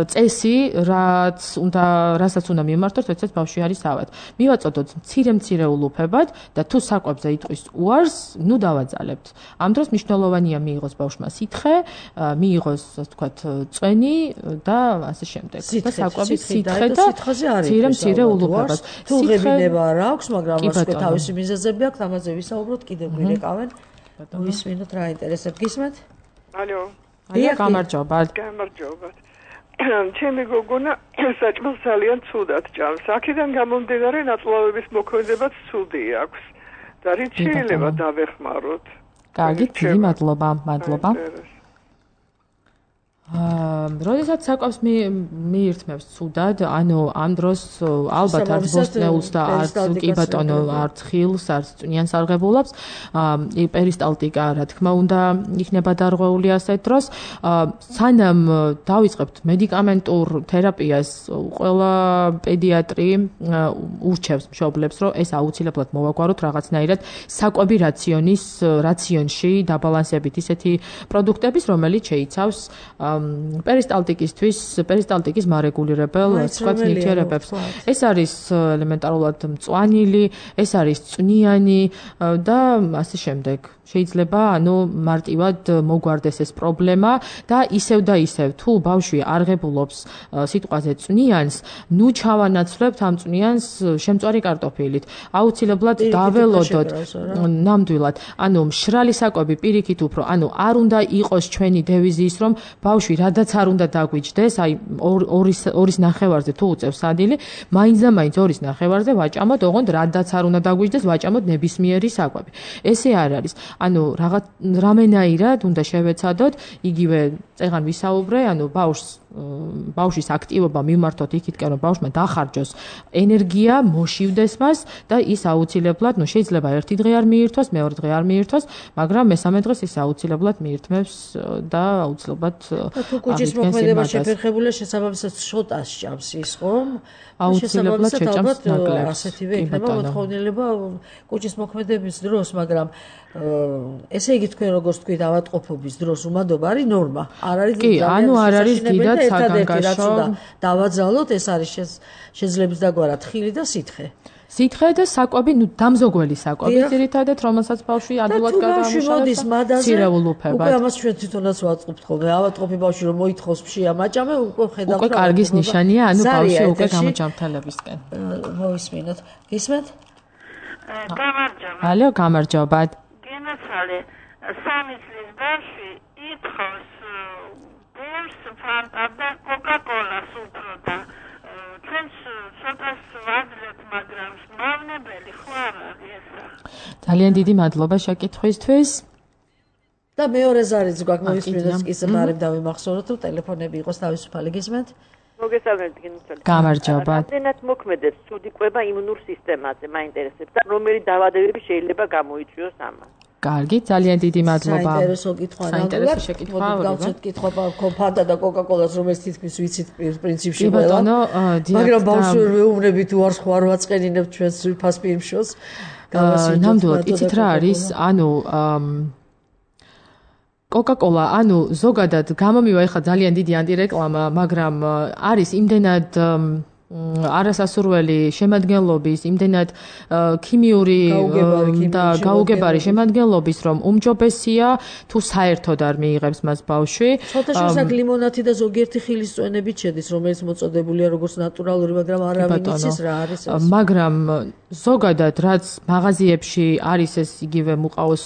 წესი, რაც უნდა რასაც უნდა მიმართოთ, როდესაც ბავშვი არის ავად. მივაწოდოთ მცირე-მცირე ულუფებად და თუ საკვებზე იტყვის უარს, ნუ დავაძალებთ. ამ დროს მნიშვნელოვანია მიიღოს ბავშვმა სითხე, მიიღოს, ასე ვთქვათ, წვენი და ასე შემდეგ. და საკვები სითხე და მცირე-მცირე ულუფებად. თუ ღებინება არ აქვს, მაგრამ ასე თავისი მიზეზები აქვს, ამაზე ვისაუბროთ, კიდევ გვირეკავენ. მოვისმინოთ რა ინტერესებს გისმენთ? ალო. ალო, გამარჯობა. გამარჯობა. ჩემი გოგონა საჭმელს ძალიან ცუდად ჭამს. აქედან გამომდინარე ნაწლავების მოქმედებაც ცუდი აქვს. და რით შეიძლება დავეხმაროთ? კარგი, დიდი მადლობა, მადლობა. აა, როდესაც საკვებს მიირთმევს ცუდად, ანუ ამ დროს ალბათ არც ბოსტნეულს და არც კი ბატონო არც ხილს, არც წვნიან სარღებულებს, აა, პერისტალტიკა, რა თქმა უნდა, იქნება დარღვეული ასეთ დროს. აა, სანამ დავიწყებთ მედიკამენტურ თერაპიას, ყველა პედიატრი ურჩევს მშობლებს, რომ ეს აუცილებლად მოვაგვაროთ რაღაცნაირად საკვები რაციონის რაციონში დაბალანსებით ისეთი პროდუქტების, რომელიც შეიცავს პერისტალტიკისთვის, პერისტალტიკის მარეგულირებელ სხვა ნივთიერებებს. ეს არის ელემენტარულად მწვანილი, ეს არის წვნიანი და ასე შემდეგ. შეიძლება ანუ მარტივად მოგვარდეს ეს პრობლემა და ისევ და ისევ თუ ბავშვი არ ღებულობს სიტყვაზე წვნიანს, ნუ ჩავანაცვლებთ ამ წვნიანს შემწვარი კარტოფილით. აუცილებლად დაველოდოთ ნამდვილად. ანუ მშრალი საკვები პირიქით უფრო, ანუ არ უნდა იყოს ჩვენი დევიზი ის, რომ ბავშვი რადაც არ უნდა დაგვიჯდეს, აი ორის ორის ნახევარზე თუ უწევს სადილი, მაინც და მაინც ორის ნახევარზე ვაჭამოთ, ოღონდ რადაც არ უნდა დაგვიჯდეს, ვაჭამოთ ნებისმიერი საკვები. ესე არ არის. ანუ რაღაც რამენაირად უნდა შევეცადოთ, იგივე წეგან ვისაუბრე, ანუ ბავშვს ბავშვის აქტივობა მიმართოთ იქითკენ, რომ ბავშვმა დახარჯოს ენერგია, მოშივდეს მას და ის აუცილებლად, ну შეიძლება ერთი დღე არ მიირთვას, მეორე დღე არ მიირთვას, მაგრამ მესამე დღეს ის აუცილებლად მიირთმევს და აუცილებლად თუ კუჭის მოქმედება შეფერხებულია, შესაბამისად შოტას ჭამს ის, ხომ? აუცილებლად შეჭამს ნაკლებს. ასეთივე იქნება მოთხოვნილება კუჭის მოქმედების დროს, მაგრამ ესე იგი თქვენ როგორც თქვით, ავადმყოფობის დროს უმადობა არის ნორმა. არ არის კი, ანუ არ არის დიდად საგანგაშო. დავაძალოთ, ეს არის შეძლების დაგვარა თხილი და სითხე. სითხე და საკვები, ну დამზოგველი საკვები, ძირითადად, რომელსაც ბავშვი ადვილად გადაამუშავებს, სირეულუფებად. უკვე ამას ჩვენ თვითონაც ვაწყობთ ხოლმე. ავადმყოფი ბავშვი რომ მოითხოვს ფშია მაჭამე, უკვე ხედავთ. უკვე კარგის ნიშანია, ანუ ბავშვი უკვე გამოჯამთელებისკენ. მოვისმინოთ. გისმენთ? გამარჯობა. ალო, გამარჯობა. გენაცვალე, სამი წლის ბავშვი ითხოვს ბურს, ფანტა და კოკა-კოლას უფრო და ჩვენს ცოტას ვაძლევთ, მაგრამ მავნებელი ხო არ არის ესა. ძალიან დიდი მადლობა შეკითხვისთვის. და მეორე ზარიც გვაქვს მოვისმინოთ ის ბარებ დავიმახსოვროთ, რომ ტელეფონები იყოს თავისუფალი. გისმენთ? მოგესალმებით გინუცელი. გამარჯობა. რამდენად მოქმედებს ცუდი კვება იმუნურ სისტემაზე, მაინტერესებს და რომელი დაავადებები შეიძლება გამოიწვიოს ამას. კარგი, ძალიან დიდი მადლობა. საინტერესო კითხვა. საინტერესო შეკითხვა. გავცეთ კითხვა ფანტა და კოკა-კოლას, რომელიც თითქმის ვიცით პრინციპში ყველა. ბატონო, მაგრამ ბავშვი ვეუბნებით უარს ხო არ ვაწყენინებთ ჩვენს ვიფას პირმშოს. ნამდვილად, იცით რა არის? ანუ კოკა-კოლა, ანუ ზოგადად გამომივა ეხლა ძალიან დიდი ანტირეკლამა, მაგრამ არის იმდენად არასასურველი შემადგენლობის, იმდენად ქიმიური და გაუგებარი შემადგენლობის, რომ უმჯობესია თუ საერთოდ არ მიიღებს მას ბავშვი. ცოტა შესაძლოა ლიმონათი და ზოგიერთი ხილის წვენებით შედის, რომელიც მოწოდებულია როგორც ნატურალური, მაგრამ არავინ იცის რა არის ეს. მაგრამ ზოგადად რაც მაღაზიებში არის ეს იგივე მუყაოს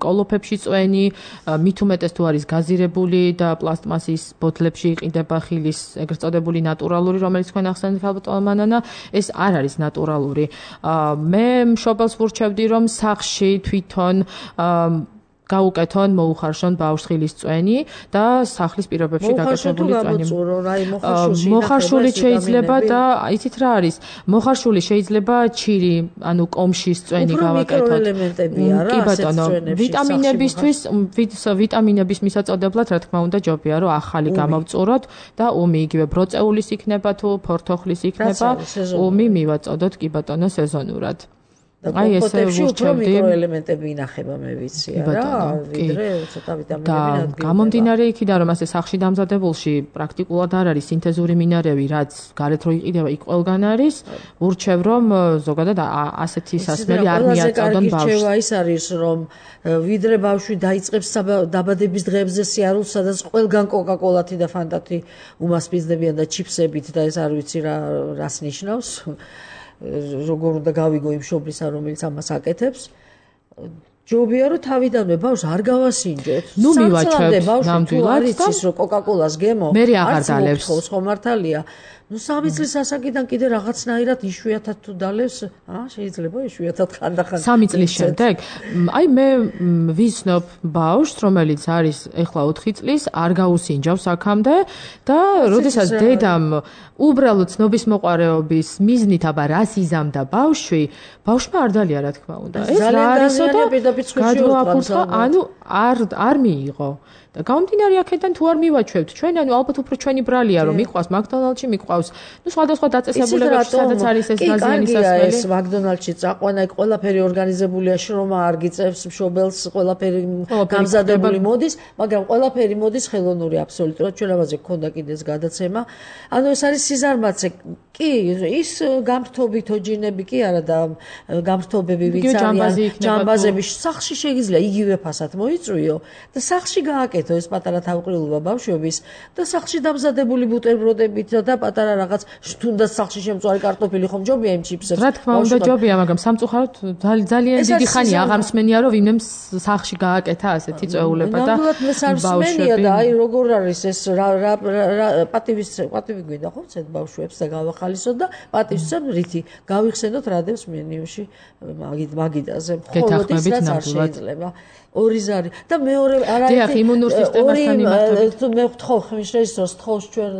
კოლოფებში წვენი, მით უმეტეს თუ არის გაზირებული და პლასტმასის ბოთლებში იყიდება ხილის ეგრეთ წოდებული ნატურალური, რომელიც თქვენ ახსენეთ ალბატონმანანა, ეს არ არის ნატურალური. მე მშობელს ვურჩევდი, რომ სახლში თვითონ გაუკეთონ, მოუხარშონ ბავშვს ხილის წვენი და სახლის პირობებში გაკეთებული წვენი. მოხარშული შეიძლება და იცით რა არის? მოხარშული შეიძლება ჩირი, ანუ კომშის წვენი გავაკეთოთ. კი ბატონო, ვიტამინებისთვის, ვიტამინების მისაწოდებლად, რა თქმა უნდა, ჯობია რომ ახალი გამოვწუროთ და ომი იგივე ბროწეულის იქნება თუ ფორთოხლის იქნება, ომი მივაწოდოთ კი ბატონო სეზონურად. და კომპოტებში უფრო მიკროელემენტები ინახება, მე ვიცი, რა, ვიდრე ცოტა ვიტამინები და გამომდინარე იქიდან, რომ ასე სახში დამზადებულში პრაქტიკულად არ არის სინთეზური მინარევი, რაც გარეთ რო იყიდება, იქ ყველგან არის, ურჩევ რომ ზოგადად ასეთი სასმელი არ მიაწოდონ ბავშვს. რჩევა ის არის, რომ ვიდრე ბავშვი დაიწყებს დაბადების დღეებზე სიარულს, სადაც ყველგან კოკაკოლათი და ფანტათი უმასპინძლებიან და ჩიფსებით და ეს არ ვიცი რა რას ნიშნავს. როგორ უნდა გავიგო იმ მშობლისა, რომელიც ამას აკეთებს. ჯობია რომ თავიდანვე ბავშვს არ გავასინჯოთ. ნუ მივაჩვევთ ნამდვილად და ის რომ კოკაკოლას გემო მე აღარ დალევს. ხო მართალია. ნუ სამი წლის ასაკიდან კიდე რაღაცნაირად იშვიათად თუ დალევს, აა შეიძლება იშვიათად ხანდახან. სამი წლის შემდეგ, აი მე ვიცნობ ბავშვს, რომელიც არის ეხლა ოთხი წლის, არ გაუსინჯავს აქამდე და როდესაც დედამ უბრალოდ ცნობის მოყარეობის მიზნით აბა რას იზამდა ბავშვი, ბავშვმა არ დალია რა თქმა უნდა. ეს რა არისო და გადააფურთხა, ანუ არ არ მიიღო. და გამომდინარე აქედან თუ არ მივაჩვევთ ჩვენ, ანუ ალბათ უფრო ჩვენი ბრალია რომ მიყვავს მაკდონალდში, მიყვავს ნუ სხვადასხვა დაწესებულებებში, სადაც არის ეს გაზიანი სასმელი. ეს მაკდონალდში წაყვანა, იქ ყველაფერი ორგანიზებულია, შრომა არ გიწევს, მშობელს ყველაფერი გამზადებული მოდის, მაგრამ ყველაფერი მოდის ხელოვნური აბსოლუტურად. ჩვენ ამაზე გქონდა კიდე ეს გადაცემა. ანუ ეს არის სიზარმაცე. კი, ის გამრთობითო ჯინები კი არა და გამრთობები ვიც არიან, ჯამბაზები სახლში შეიძლება იგივე ფასად მოიწვიო და სახლში გააკეთო ეს პატარა თავყრილობა ბავშვების და სახლში დამზადებული ბუტერბროდებით და პატარა რაღაც თუნდაც სახლში შემწვარი კარტოფილი ხომ ჯობია იმ ჩიფსებს. რა თქმა უნდა ჯობია, მაგრამ სამწუხაროდ ძალიან დიდი ხანი აღარ მსმენია რომ ვინმე სახლში გააკეთა ასეთი წვეულება და ბავშვები და აი როგორ არის ეს რა პატივის პატივი გვინდა ხო ცეთ ბავშვებს და გავახალისოთ და პატივსცემ რითი გავიხსენოთ რადევს მენიუში მაგიდაზე მხოლოდ ის რაც არ შეიძლება. ორი ზარი და მეორე არაერთი იმუნურ სისტემასთან იმართებით. მე ვთხოვ ხმიშრეჟისორს თხოვს ჩვენ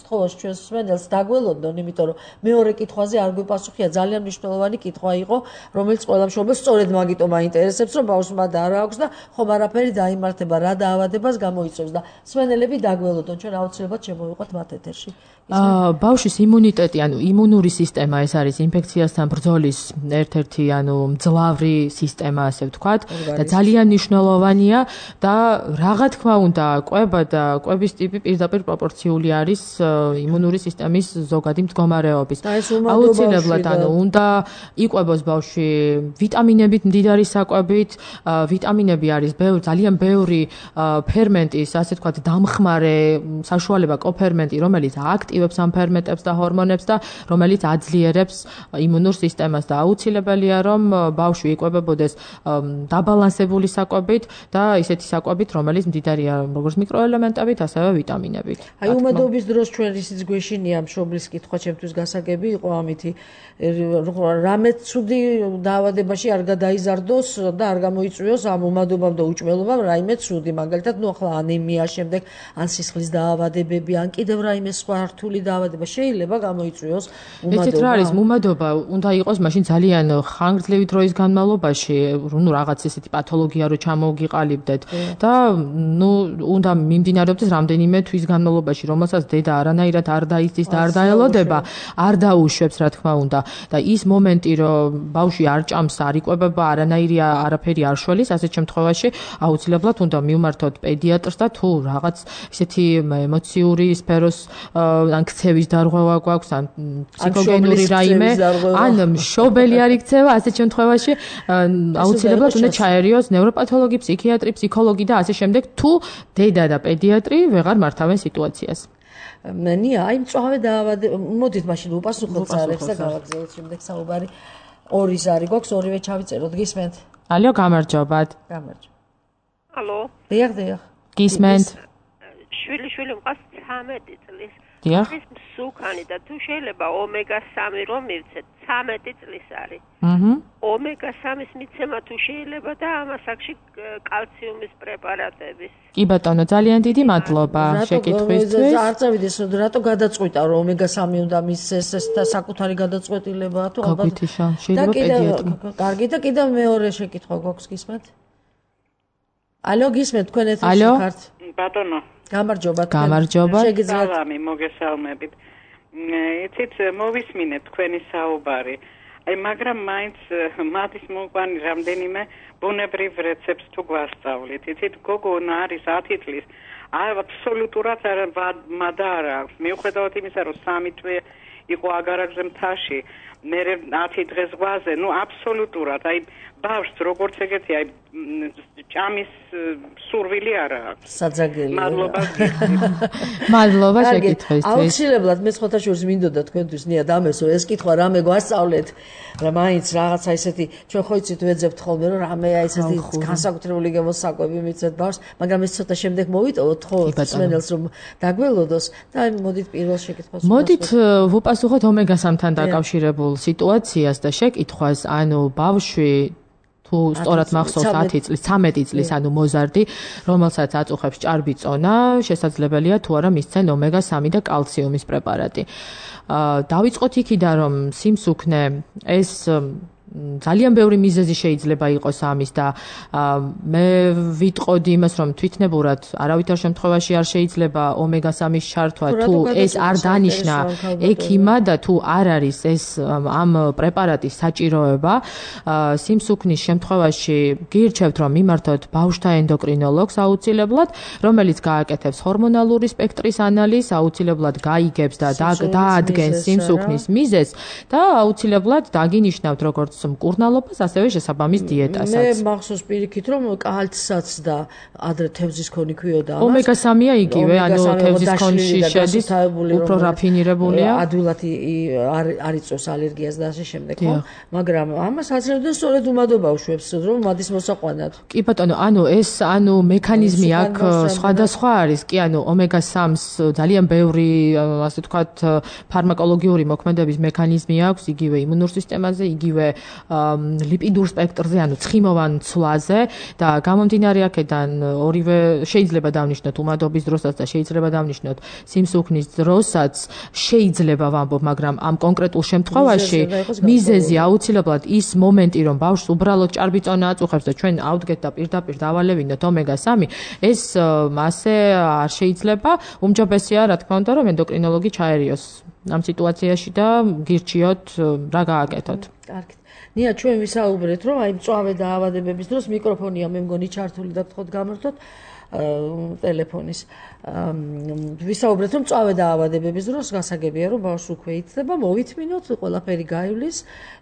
თხოვს ჩვენს მსმენელს დაგველოდონ, იმიტომ რომ მეორე კითხვაზე არ გვიპასუხია, ძალიან მნიშვნელოვანი კითხვა იყო, რომელიც ყველა მშობელს სწორედ მაგიტომ აინტერესებს, რომ ბავშვმა და არა აქვს და ხომ არაფერი დაიმართება, რა დაავადებას გამოიწვევს და მსმენელები დაგველოდონ, ჩვენ აუცილებლად შემოვიყვათ მათ ეთერში. აა ბავშვის იმუნიტეტი, ანუ იმუნური სისტემა, ეს არის ინფექციასთან ბრძოლის ერთ-ერთი, ანუ მძლავრი სისტემა, ასე ვთქვათ, და ძალიან მნიშვნელოვანია და რაღა თქმა უნდა, კვება და კვების ტიპი პირდაპირ პროპორციული არის იმუნური სისტემის ზოგადი მდგომარეობის. აუცილებლად, ანუ უნდა იყვებოს ბავშვი ვიტამინებით მდიდარი საკვებით, ვიტამინები არის ძალიან ბევრი ფერმენტის, ასე ვთქვათ, დამხმარე საშუალება კოფერმენტი, რომელიც აქტივებს ამ ფერმენტებს და ჰორმონებს და რომელიც აძლიერებს იმუნურ სისტემას და აუცილებელია რომ ბავშვი იკვებებოდეს დაბალანსებული საკვებით და ისეთი საკვებით, რომელიც მდიდარია როგორც მიკროელემენტებით, ასევე ვიტამინებით. აი უმადობის დროს ჩვენ ისიც გვეშინია მშობლის კითხვა ჩემთვის გასაგები იყო ამითი რამე ცუდი დაავადებაში არ გადაიზარდოს და არ გამოიწვიოს ამ უმადობამ და უჭმელობამ რაიმე ცუდი, მაგალითად, ნუ ახლა ანემია, შემდეგ ან სისხლის დაავადებები, ან კიდევ რაიმე სხვა რთული დაავადება შეიძლება გამოიწვიოს უმადობა. ესეთ რა არის უმადობა, უნდა იყოს მაშინ ძალიან ხანგრძლივი დროის განმავლობაში, ნუ რაღაც ესეთი პათოლოგია რო ჩამოგიყალიბდეთ და ნუ უნდა მიმდინარეობდეს რამდენიმე თვის განმავლობაში, რომელსაც დედა არანაირად არ დაიცდის და არ დაელოდება, არ დაუშვებს, რა თქმა უნდა. და ის მომენტი, რომ ბავშვი არ ჭამს, არ იკვებება, არანაირი არაფერი არ შველის, ასეთ შემთხვევაში აუცილებლად უნდა მივმართოთ პედიატრს და თუ რაღაც ისეთი ემოციური სფეროს ან ქცევის დარღვევა გვაქვს, ან ფსიქოგენური რაიმე, ან მშობელი არ იქცევა, ასეთ შემთხვევაში აუცილებლად უნდა ჩაერიოს ნევროპათოლოგი, ფსიქიატრი, ფსიქოლოგი და ასე შემდეგ, თუ დედა და პედიატრი ვეღარ მართავენ სიტუაციას. ნია, აი მწვავე დაავადება, მოდით მაშინ უპასუხოთ ზარებს და გავაგზავნოთ შემდეგ საუბარი. ორი ზარი გვაქვს, ორივე ჩავიწეროთ, გისმენთ? ალო, გამარჯობათ. გამარჯობა. ალო. დიახ, დიახ. გისმენთ? შვილი შვილი მყავს ცამეტი წლის. დიახ. ის მსუქანი და თუ შეიძლება ომეგა სამი რომ მივცეთ, ცამეტი წლის არის. აჰა. ომეგა სამის მიცემა თუ შეიძლება და ამასაკში კალციუმის პრეპარატების. კი ბატონო, ძალიან დიდი მადლობა შეკითხვისთვის. არ წავიდეს, რატო გადაწყვიტა რომ ომეგა სამი უნდა მისცეს ეს და საკუთარი გადაწყვეტილებაა თუ ალბათ. გაგვითიშა, შეიძლება პედიატრი. კარგი და კიდევ მეორე შეკითხვა გვაქვს, გისმენთ? ალო, გისმენთ, თქვენ ეთერში ხართ? ბატონო. გამარჯობა. გამარჯობა. სალამი, მოგესალმებით. იცით, მოვისმინეთ თქვენი საუბარი. აი მაგრამ მაინც მადის მოყვანი რამდენიმე ბუნებრივ რეცეპტს თუ გვასწავლით. იცით, გოგონა არის ათი წლის აბსოლუტურად მადა არ აქვს. მიუხედავად იმისა, რომ სამი თვე იყო აგარაკზე მთაში, მე ათი დღე ზღვაზე, ну აბსოლუტურად, აი ბავშვს როგორც ეგეთი, აი ჭამის სურვილი არ აქვს. საძაგელი. მადლობა. მადლობა შეკითხვისთვის. აუცილებლად მე სხვათა შორის მინდოდა თქვენთვის ნია დამესო ეს კითხვა რამე გვასწავლეთ, რა მაინც რაღაცა ისეთი ჩვენ ხო იცით ვეძებთ ხოლმე რომ რამე აი ესეთი განსაკუთრებული გემოსაკვები მიცეთ ბავშვს, მაგრამ ეს ცოტა შემდეგ მოვიტოვოთ ხო სმენელს რომ დაგველოდოს და აი მოდით პირველ შეკითხვას. მოდით ვუპასუხოთ ომეგა სამთან დაკავშირებულ სიტუაციას და შეკითხვას, ანუ ბავშვი თუ სწორად მახსოვს ათი წლის, ცამეტი წლის, ანუ მოზარდი, რომელსაც აწუხებს ჭარბი წონა, შესაძლებელია თუ არა მისცენ ომეგა სამი და კალციუმის პრეპარატი. დავიწყოთ იქიდან, რომ სიმსუქნე ეს ძალიან ბევრი მიზეზი შეიძლება იყოს ამის და მე ვიტყოდი იმას, რომ თვითნებურად არავითარ შემთხვევაში არ შეიძლება ომეგა სამის ჩართვა, თუ ეს არ დანიშნა ექიმა და თუ არ არის ეს ამ პრეპარატის საჭიროება. სიმსუქნის შემთხვევაში გირჩევთ, რომ მიმართოთ ბავშვთა ენდოკრინოლოგს აუცილებლად, რომელიც გააკეთებს ჰორმონალური სპექტრის ანალიზს, აუცილებლად გაიგებს და დაადგენს სიმსუქნის მიზეზს და აუცილებლად დაგინიშნავთ როგორც მკურნალობას, ასევე შესაბამის დიეტასაც. მე მახსოვს პირიქით, რომ კალცსაც და ადრე თევზის ქონი ქვიოდა ამას. ომეგა სამია იგივე, ანუ თევზის ქონში შედის, უფრო რაფინირებულია. ადვილად არ იწვევს ალერგიას და ასე შემდეგ, ხო? მაგრამ ამას აძლევდნენ სწორედ უმადო ბავშვებს, რომ მადის მოსაყვანად. კი ბატონო, ანუ ეს ანუ მექანიზმი აქ სხვადასხვა არის. კი, ანუ ომეგა სამს ძალიან ბევრი, ასე ვთქვათ, ფარმაკოლოგიური მოქმედების მექანიზმი აქვს, იგივე იმუნურ სისტემაზე, იგივე ლიპიდურ სპექტრზე, ანუ ცხიმოვან ცვლაზე და გამომდინარე აქედან ორივე შეიძლება დავნიშნოთ უმადობის დროსაც და შეიძლება დავნიშნოთ სიმსუქნის დროსაც, შეიძლება ვამბობ, მაგრამ ამ კონკრეტულ შემთხვევაში მიზეზი აუცილებლად ის მომენტი, რომ ბავშვს უბრალოდ ჭარბი წონა აწუხებს და ჩვენ ავდგეთ და პირდაპირ დავალევინოთ ომეგა სამი, ეს მასე არ შეიძლება. უმჯობესია, რა თქმა უნდა, რომ ენდოკრინოლოგი ჩაერიოს ამ სიტუაციაში და გირჩიოთ რა გააკეთოთ. კარგით. ნია, ჩვენ ვისაუბრეთ, რომ აი მწვავე დაავადებების დროს მიკროფონია მე მგონი ჩართული და გთხოვთ გამართოთ ტელეფონის. ვისაუბრეთ, რომ მწვავე დაავადებების დროს გასაგებია, რომ ბავშვს უკვე იცდება, მოვითმინოთ, ყველაფერი გაივლის,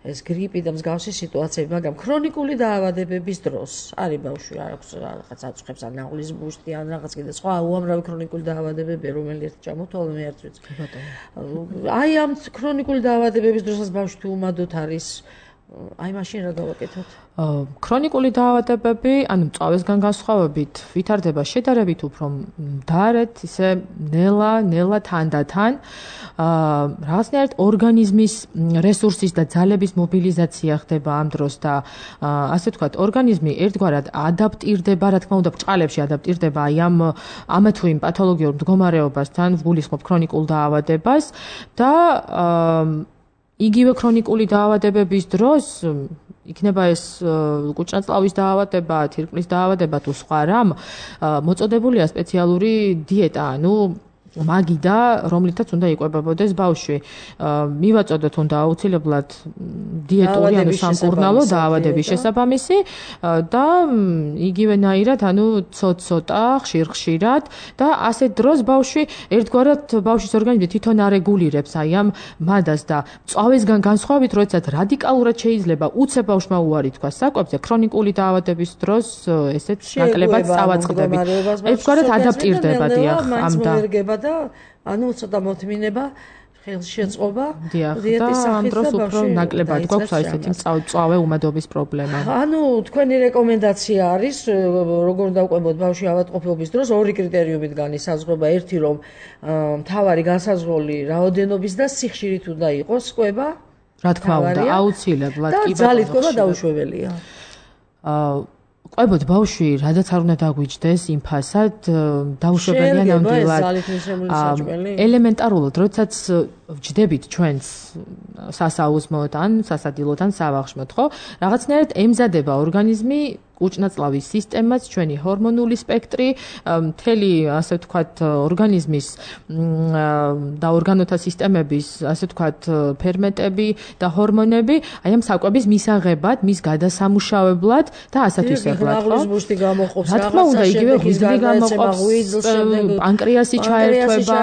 ეს გრიპი და მსგავსი სიტუაციები, მაგრამ ქრონიკული დაავადებების დროს არის ბავშვი არ აქვს რაღაც აწუხებს ან ნაღლის ბუშტი ან რაღაც კიდე სხვა უამრავი ქრონიკული დაავადებებია, რომელიც ჩამოთვალე მე არც ვიცი. აი ამ ქრონიკული დაავადებების დროსაც ბავშვი თუ უმადოდ არის აი მაშინ რა გავაკეთოთ? ქრონიკული დაავადებები, ანუ მწვავესგან განსხვავებით, ვითარდება შედარებით უფრო მდარედ, ისე ნელა, ნელა თანდათან. რაღაცნაირად ორგანიზმის რესურსის და ძალების მობილიზაცია ხდება ამ დროს და ასე ვთქვათ, ორგანიზმი ერთგვარად ადაპტირდება, რა თქმა უნდა, ბრჭყალებში ადაპტირდება აი ამ ამა თუ იმ პათოლოგიურ მდგომარეობასთან, ვგულისხმობ ქრონიკულ დაავადებას და იგივე ქრონიკული დაავადებების დროს იქნება ეს კუჭნაწლავის დაავადება, თირკმლის დაავადება თუ სხვა რამ, მოწოდებულია სპეციალური დიეტა, ანუ მაგიდა, რომლითაც უნდა იკვებებოდეს ბავშვი. მივაწოდოთ უნდა აუცილებლად დიეტური, ანუ სამკურნალო დაავადების შესაბამისი და იგივენაირად, ანუ ცოტ-ცოტა, ხშირ-ხშირად და ასეთ დროს ბავშვი ერთგვარად ბავშვის ორგანიზმი თვითონ არეგულირებს აი ამ მადას და მწვავესგან განსხვავებით, როდესაც რადიკალურად შეიძლება უცებ ბავშვმა უარი თქვა საკვებზე, ქრონიკული დაავადების დროს ესეც ნაკლებად წავაწყდებით. ერთგვარად ადაპტირდება დიახ ამ და და ანუ ცოტა მოთმინება, ხელშეწყობა, დიეტის სახით და უფრო ნაკლებად გვაქვს აი ესეთი მწვავე უმადობის პრობლემა. ანუ თქვენი რეკომენდაცია არის, როგორ დავყვებოთ ბავშვი ავადმყოფობის დროს, ორი კრიტერიუმით განისაზღვრება, ერთი რომ მთავარი განსაზღვრული რაოდენობის და სიხშირით უნდა იყოს კვება. რა თქმა უნდა, აუცილებლად კი და ძალით კვება დაუშვებელია. აა ყვებოთ ბავშვი, რადაც არ უნდა დაგვიჯდეს იმ ფასად, დაუშვებელია ნამდვილად. ელემენტარულად, როდესაც ვჯდებით ჩვენს სასაუზმოდ ან სასადილოდ ან სავახშმოდ, ხო? რაღაცნაირად ემზადება ორგანიზმი კუჭნაწლავის სისტემაც, ჩვენი ჰორმონული სპექტრი, მთელი, ასე ვთქვათ, ორგანიზმის და ორგანოთა სისტემების, ასე ვთქვათ, ფერმენტები და ჰორმონები, აი ამ საკვების მისაღებად, მის გადასამუშავებლად და ასეთ ისევლად, ხო? ღრმაღლის გამოყოფს, რა თქმა უნდა, იგივე ღვიძლი გამოყოფს, პანკრეასი ჩაერთვება,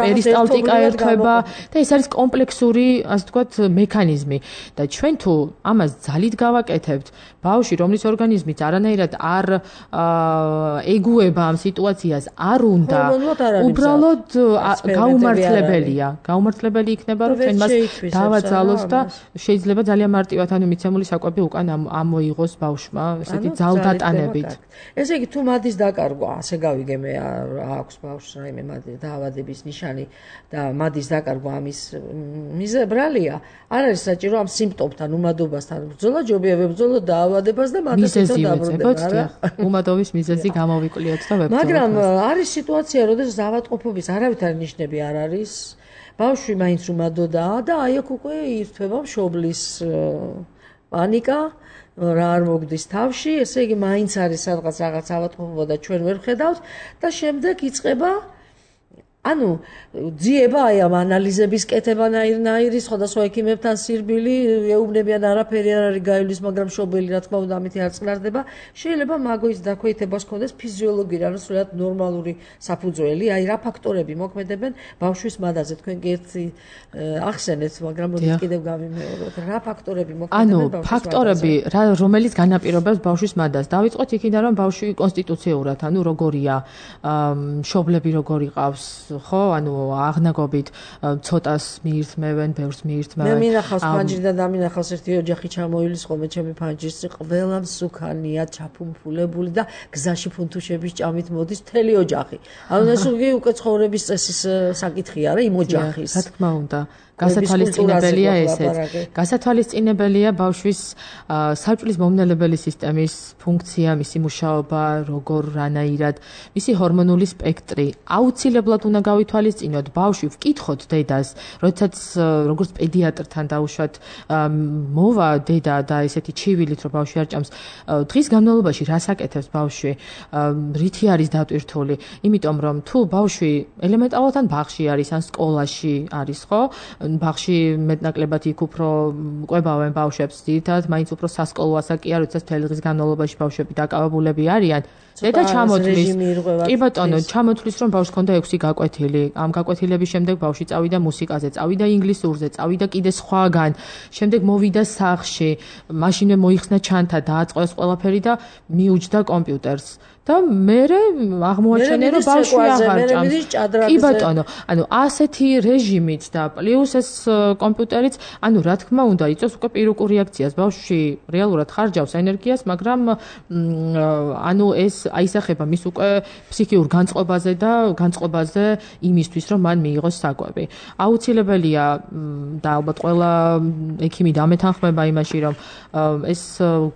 პერისტალტიკა ერთვება და ეს არის კომპლექსური, ასე ვთქვათ, მექანიზმი და ჩვენ თუ ამას ძალით გავაკეთებთ, ბავშვი, რომლის ორგანიზმიც არანაირად არ ეგუება ამ სიტუაციას, არ უნდა, უბრალოდ გაუმართლებელია. გაუმართლებელი იქნება, რომ ჩვენ მას დავაძალოთ და შეიძლება ძალიან მარტივად, ანუ მიცემული საკვები უკან ამოიღოს ბავშვმა, ესეთი ძალდატანებით. ესე იგი, თუ მადის დაკარგვა, ასე გავიგე მე აქვს ბავშვს რაიმე დაავადების ნიშანი და მადის დაკარგვა ამის მიზებრალია, არ არის საჭირო ამ სიმპტომთან, უმადობასთან ბრძოლა, ჯობია ვებრძოლოთ დაავადებას და მათაც თვითონ დაბრუნდება, არა? უმადობის მიზეზი გამოვიკვლიოთ და ვებრძოლოთ. მაგრამ არის სიტუაცია, როდესაც ავადმყოფობის არავითარი ნიშნები არ არის. ბავშვი მაინც უმადოდაა და აი აქ უკვე ირთვება მშობლის პანიკა, რა არ მოგდის თავში, ესე იგი მაინც არის სადღაც რაღაც ავადმყოფობა და ჩვენ ვერ ხედავთ და შემდეგ იწყება ანუ ძიება აი ამ ანალიზების კეთებანაირი, სხვადასხვა ექიმებთან სირბილი, ეუბნებიან არაფერი არ არის გაივლის, მაგრამ მშობელი რა თქმა უნდა ამით არ წყნარდება. შეიძლება მაგოის დაქვეითებას ჰქონდეს ფიზიოლოგიური, ანუ სულად ნორმალური საფუძველი, აი რა ფაქტორები მოქმედებენ ბავშვის მადაზე. თქვენ კი ერთი ახსენეთ, მაგრამ მოდით კიდევ გავიმეოროთ. რა ფაქტორები მოქმედებენ ბავშვის მადაზე? ანუ ფაქტორები, რომელიც განაპირობებს ბავშვის მადას. დავიწყოთ იქიდან, რომ ბავშვი კონსტიტუციურად, ანუ როგორია, მშობლები როგორი ყავს, ხო, ანუ აღნაგობით ცოტას მიირთმევენ, ბევრს მიირთმევენ. მე მინახავს ფანჯრიდან დამინახავს ერთი ოჯახი ჩამოივლის ხოლმე ჩემი ფანჯრის ყველა მსუქანია, ჩაფუმფულებული და გზაში ფუნთუშების ჭამით მოდის მთელი ოჯახი. ანუ ეს უკვე ცხოვრების წესის საკითხია რა იმ ოჯახის. რა თქმა უნდა. გასათვალისწინებელია ესეც. გასათვალისწინებელია ბავშვის საჭვლის მომნელებელი სისტემის ფუნქცია, მისი მუშაობა, როგორ რანაირად, მისი ჰორმონული სპექტრი. აუცილებლად უნდა გავითვალისწინოთ ბავშვი, ვკითხოთ დედას, როდესაც როგორც პედიატრთან დაუშვათ მოვა დედა და ესეთი ჩივილით, რომ ბავშვი არ ჭამს, დღის განმავლობაში რას აკეთებს ბავშვი, რითი არის დატვირთული, იმიტომ რომ თუ ბავშვი ელემენტარულად ან ბაღში არის, ან სკოლაში არის, ხო? ბაღში მეტნაკლებად იქ უფრო ყვებავენ ბავშვებს, ძირითადად მაინც უფრო სასკოლო ასაკია, როდესაც მთელი დღის განმავლობაში ბავშვები დაკავებულები არიან. დედა ჩამოთვლის, კი ბატონო, ჩამოთვლის, რომ ბავშვს ჰქონდა ექვსი გაკვეთილი. ამ გაკვეთილების შემდეგ ბავშვი წავიდა მუსიკაზე, წავიდა ინგლისურზე, წავიდა კიდე სხვაგან. შემდეგ მოვიდა სახლში, მაშინვე მოიხსნა ჩანთა, დააწყვეს ყველაფერი და მიუჯდა კომპიუტერს. და მერე აღმოაჩენე, რომ ბავშვი აღარ ჭამს. კი ბატონო, ანუ ასეთი რეჟიმით და პლუს ეს კომპიუტერიც, ანუ რა თქმა უნდა, იწვევს უკვე პირუკულ რეაქციას. ბავშვი რეალურად ხარჯავს ენერგიას, მაგრამ ანუ ეს აისახება მის უკვე ფსიქიურ განწყობაზე და განწყობაზე იმისთვის, რომ მან მიიღოს საკვები. აუცილებელია და ალბათ ყველა ექიმი დამეთანხმება იმაში, რომ ეს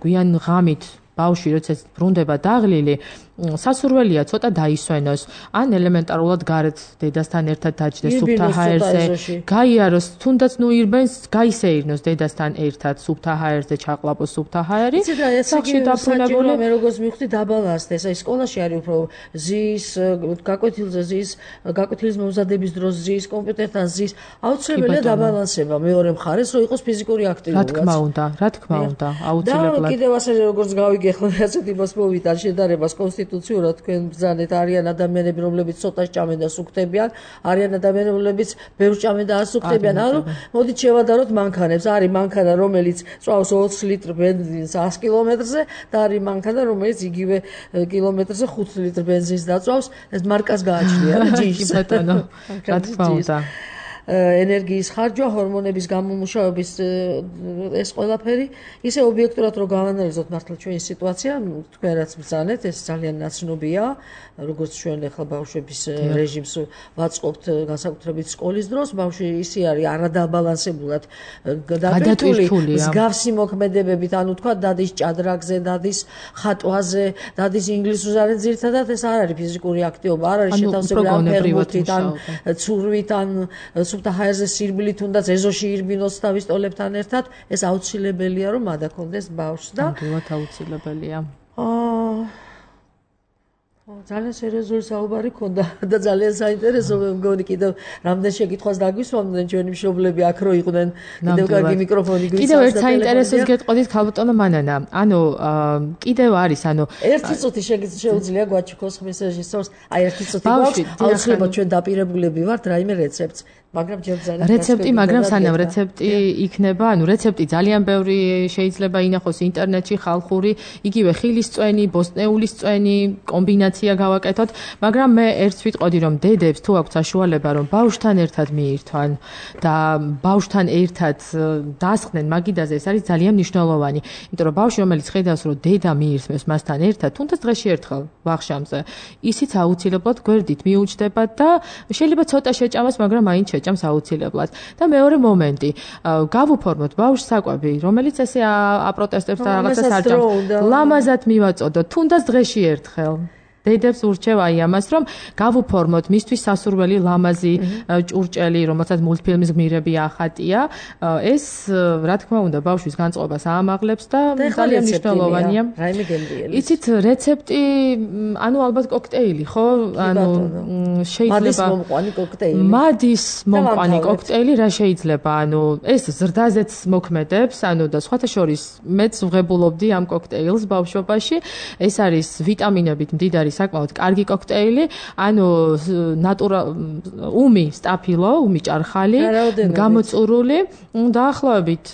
გვიან ღამით ბავშვი როდესაც ბრუნდება დაღლილი, სასურველია ცოტა დაისვენოს, ან ელემენტარულად გარეთ დედასთან ერთად დაჯდეს სუფთა ჰაერზე, გაიაროს, თუნდაც ნუ ირბენს, გაისეირნოს დედასთან ერთად სუფთა ჰაერზე, ჩაყლაპოს სუფთა ჰაერი. სახში დაბრუნებული მე როგორც მივხვდი დაბალანსდა, ეს სკოლაში არის უფრო ზის, გაკვეთილზე ზის, გაკვეთილის მომზადების დროს ზის, კომპიუტერთან ზის, აუცილებელია დაბალანსება მეორე მხარეს, რომ იყოს ფიზიკური აქტივობა. რა თქმა უნდა, რა თქმა უნდა, აუცილებლად. და კიდევ ასე როგორც გავიგე ხო ასეთ იმას მოვიდა შედარებას კონსტიტუციურად თქვენ ბრძანეთ, არიან ადამიანები, რომლებიც ცოტა ჭამენ და სუქთებიან, არიან ადამიანები, რომლებიც ბევრ ჭამენ და არ სუქთებიან. ანუ მოდით შევადაროთ მანქანებს. არის მანქანა, რომელიც წვავს ოცი ლიტრი ბენზინს ას კილომეტრზე და არის მანქანა, რომელიც იგივე კილომეტრზე ხუთი ლიტრი ბენზინს დაწვავს. ეს მარკას გააჩნია რა ჯიში ბატონო. რა თქმა უნდა. ენერგიის ხარჯვა, ჰორმონების გამომუშავების ეს ყველაფერი, ისე ობიექტურად რო გავანალიზოთ მართლა ჩვენი სიტუაცია, თქვენ რაც ბრძანეთ, ეს ძალიან ნაცნობია, როგორც ჩვენ ახლა ბავშვების რეჟიმს ვაწყობთ განსაკუთრებით სკოლის დროს, ბავშვი ისე არის არადაბალანსებულად დატვირთული, მსგავსი მოქმედებებით, ანუ თქვა დადის ჭადრაკზე, დადის ხატვაზე, დადის ინგლისურზე, არის ძირითადად ეს არ არის ფიზიკური აქტივობა, არ არის შეთავსებული ან ფერმენტით, ან ცურვით, ან სუფთა ჰაერზე სირბილი, თუნდაც ეზოში ირბინოს თავის ტოლებთან ერთად, ეს აუცილებელია, რომ მადაქონდეს ბავშვს და ნამდვილად აუცილებელია. ძალიან სერიოზული საუბარი ქონდა და ძალიან საინტერესო მე მგონი კიდევ რამდენ შეკითხვას დაგვისვამდნენ ჩვენი მშობლები აქ რო იყვნენ კიდევ კარგი მიკროფონი გვიცავს კიდევ ერთ საინტერესოს გეტყოდით ქალბატონო მანანა ანუ კიდევ არის ანუ ერთი წუთი შეუძლია გვაჩქოს ხმის რეჟისორს აი ერთი წუთი გვაქვს აუცილებლად ჩვენ დაპირებულები ვართ რაიმე რეცეპტს მაგრამ ჯერ ძალიან რეცეპტი მაგრამ სანამ რეცეპტი იქნება ანუ რეცეპტი ძალიან ბევრი შეიძლება ინახოს ინტერნეტში ხალხური იგივე ხილის წვენი ბოსტნეულის წვენი კომბინაცია გავაკეთოთ მაგრამ მე ერთს ვიტყოდი რომ დედებს თუ აქვს საშუალება რომ ბავშვთან ერთად მიირთვან და ბავშვთან ერთად დასხდნენ მაგიდაზე ეს არის ძალიან მნიშვნელოვანი იმიტომ რომ ბავშვი რომელიც ხედავს რომ დედა მიირთმევს მასთან ერთად თუნდაც დღეში ერთხელ ვახშამზე ისიც აუცილებლად გვერდით მიუჩნდება და შეიძლება ცოტა შეჭამას მაგრამ მაინც ჭამს აუცილებლად და მეორე მომენტი გავუფორმოთ ბავშვს საკვები რომელიც ესე აპროტესტებს და რაღაცას არ ჭამს ლამაზად მივაწოდოთ თუნდაც დღეში ერთხელ დედებს ურჩევ აი ამას რომ გავუფორმოთ მისთვის სასურველი ლამაზი ჭურჭელი რომელსაც მულტფილმის გმირები ახატია ეს რა თქმა უნდა ბავშვის განწყობას აამაღლებს და ძალიან მნიშვნელოვანია რაიმე გემრიელი იცით რეცეპტი ანუ ალბათ კოქტეილი ხო ანუ შეიძლება მადის მომყვანი კოქტეილი მადის მომყვანი კოქტეილი რა შეიძლება ანუ ეს ზრდაზეც მოქმედებს ანუ და სხვათა შორის მეც ვღებულობდი ამ კოქტეილს ბავშვობაში ეს არის ვიტამინებით მდიდარი საკმაოდ კარგი კოქტეილი, ანუ ნატურალ უმი სტაფილო, უმი ჭარხალი, გამოწურული, დაახლოებით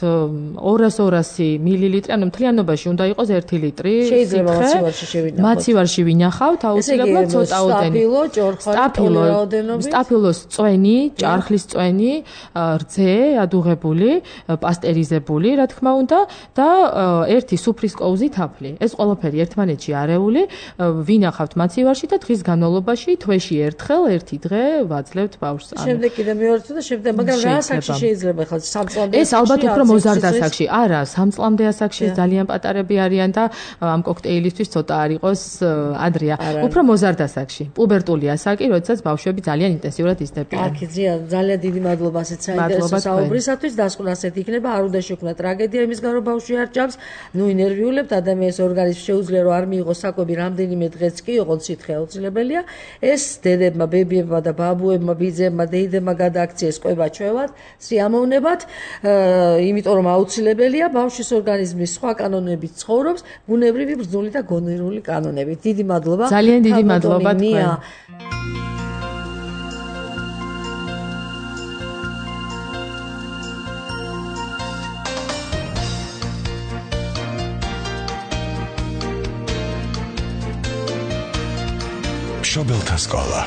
ორას ორასი მილილიტრი, ანუ მთლიანობაში უნდა იყოს ერთი ლიტრი. შეიძლება მაცივარში შევინახოთ. მაცივარში ვინახავთ, აუცილებლად ცოტაოდენი. სტაფილო, ჭორხალი, რაოდენობით. სტაფილოს წვენი, ჭარხლის წვენი, რძე, ადუღებული, პასტერიზებული, რა თქმა უნდა, და ერთი სუფრის კოუზი თაფლი. ეს ყველაფერი ერთმანეთში არეული, ვინახავთ მაცივარში და დღის განმავლობაში თვეში ერთხელ ერთი დღე ვაძლევთ ბავშვს. შემდეგ კიდე მეორე და შემდეგ, მაგრამ რა ასაკში შეიძლება ხალხ სამ წლამდე? ეს ალბათ უფრო მოზარდ ასაკში. არა, სამ წლამდე ასაკში ძალიან პატარები არიან და ამ კოქტეილისთვის ცოტა არ იყოს ადრეა. უფრო მოზარდ ასაკში. პუბერტული ასაკი, როდესაც ბავშვები ძალიან ინტენსიურად იზრდებიან. აქ ძალიან დიდი მადლობა ასეთ საინტერესო საუბრისათვის. დასკვნა ასეთ იქნება, არ უნდა შექმნა ტრაგედია იმისგან რომ ბავშვი არ ჭამს. ნუ ინერვიულებთ ადამიანის ორგანიზმს შეუძლია რომ არ მიიღოს საკვები რამდენიმე დღეც კი ოღონდ სითხე აუცილებელია. ეს დედებმა, ბებიებმა და ბაბუებმა, ბიძებმა, დეიდებმა გადააქციეს კვება ჩვევად, სიამოვნებად, იმიტომ რომ აუცილებელია ბავშვის ორგანიზმის სხვა კანონებით ცხოვრობს, ბუნებრივი, ბრძნული და გონივრული კანონებით. დიდი მადლობა. ძალიან დიდი მადლობა თქვენ. მშობელთა სკოლა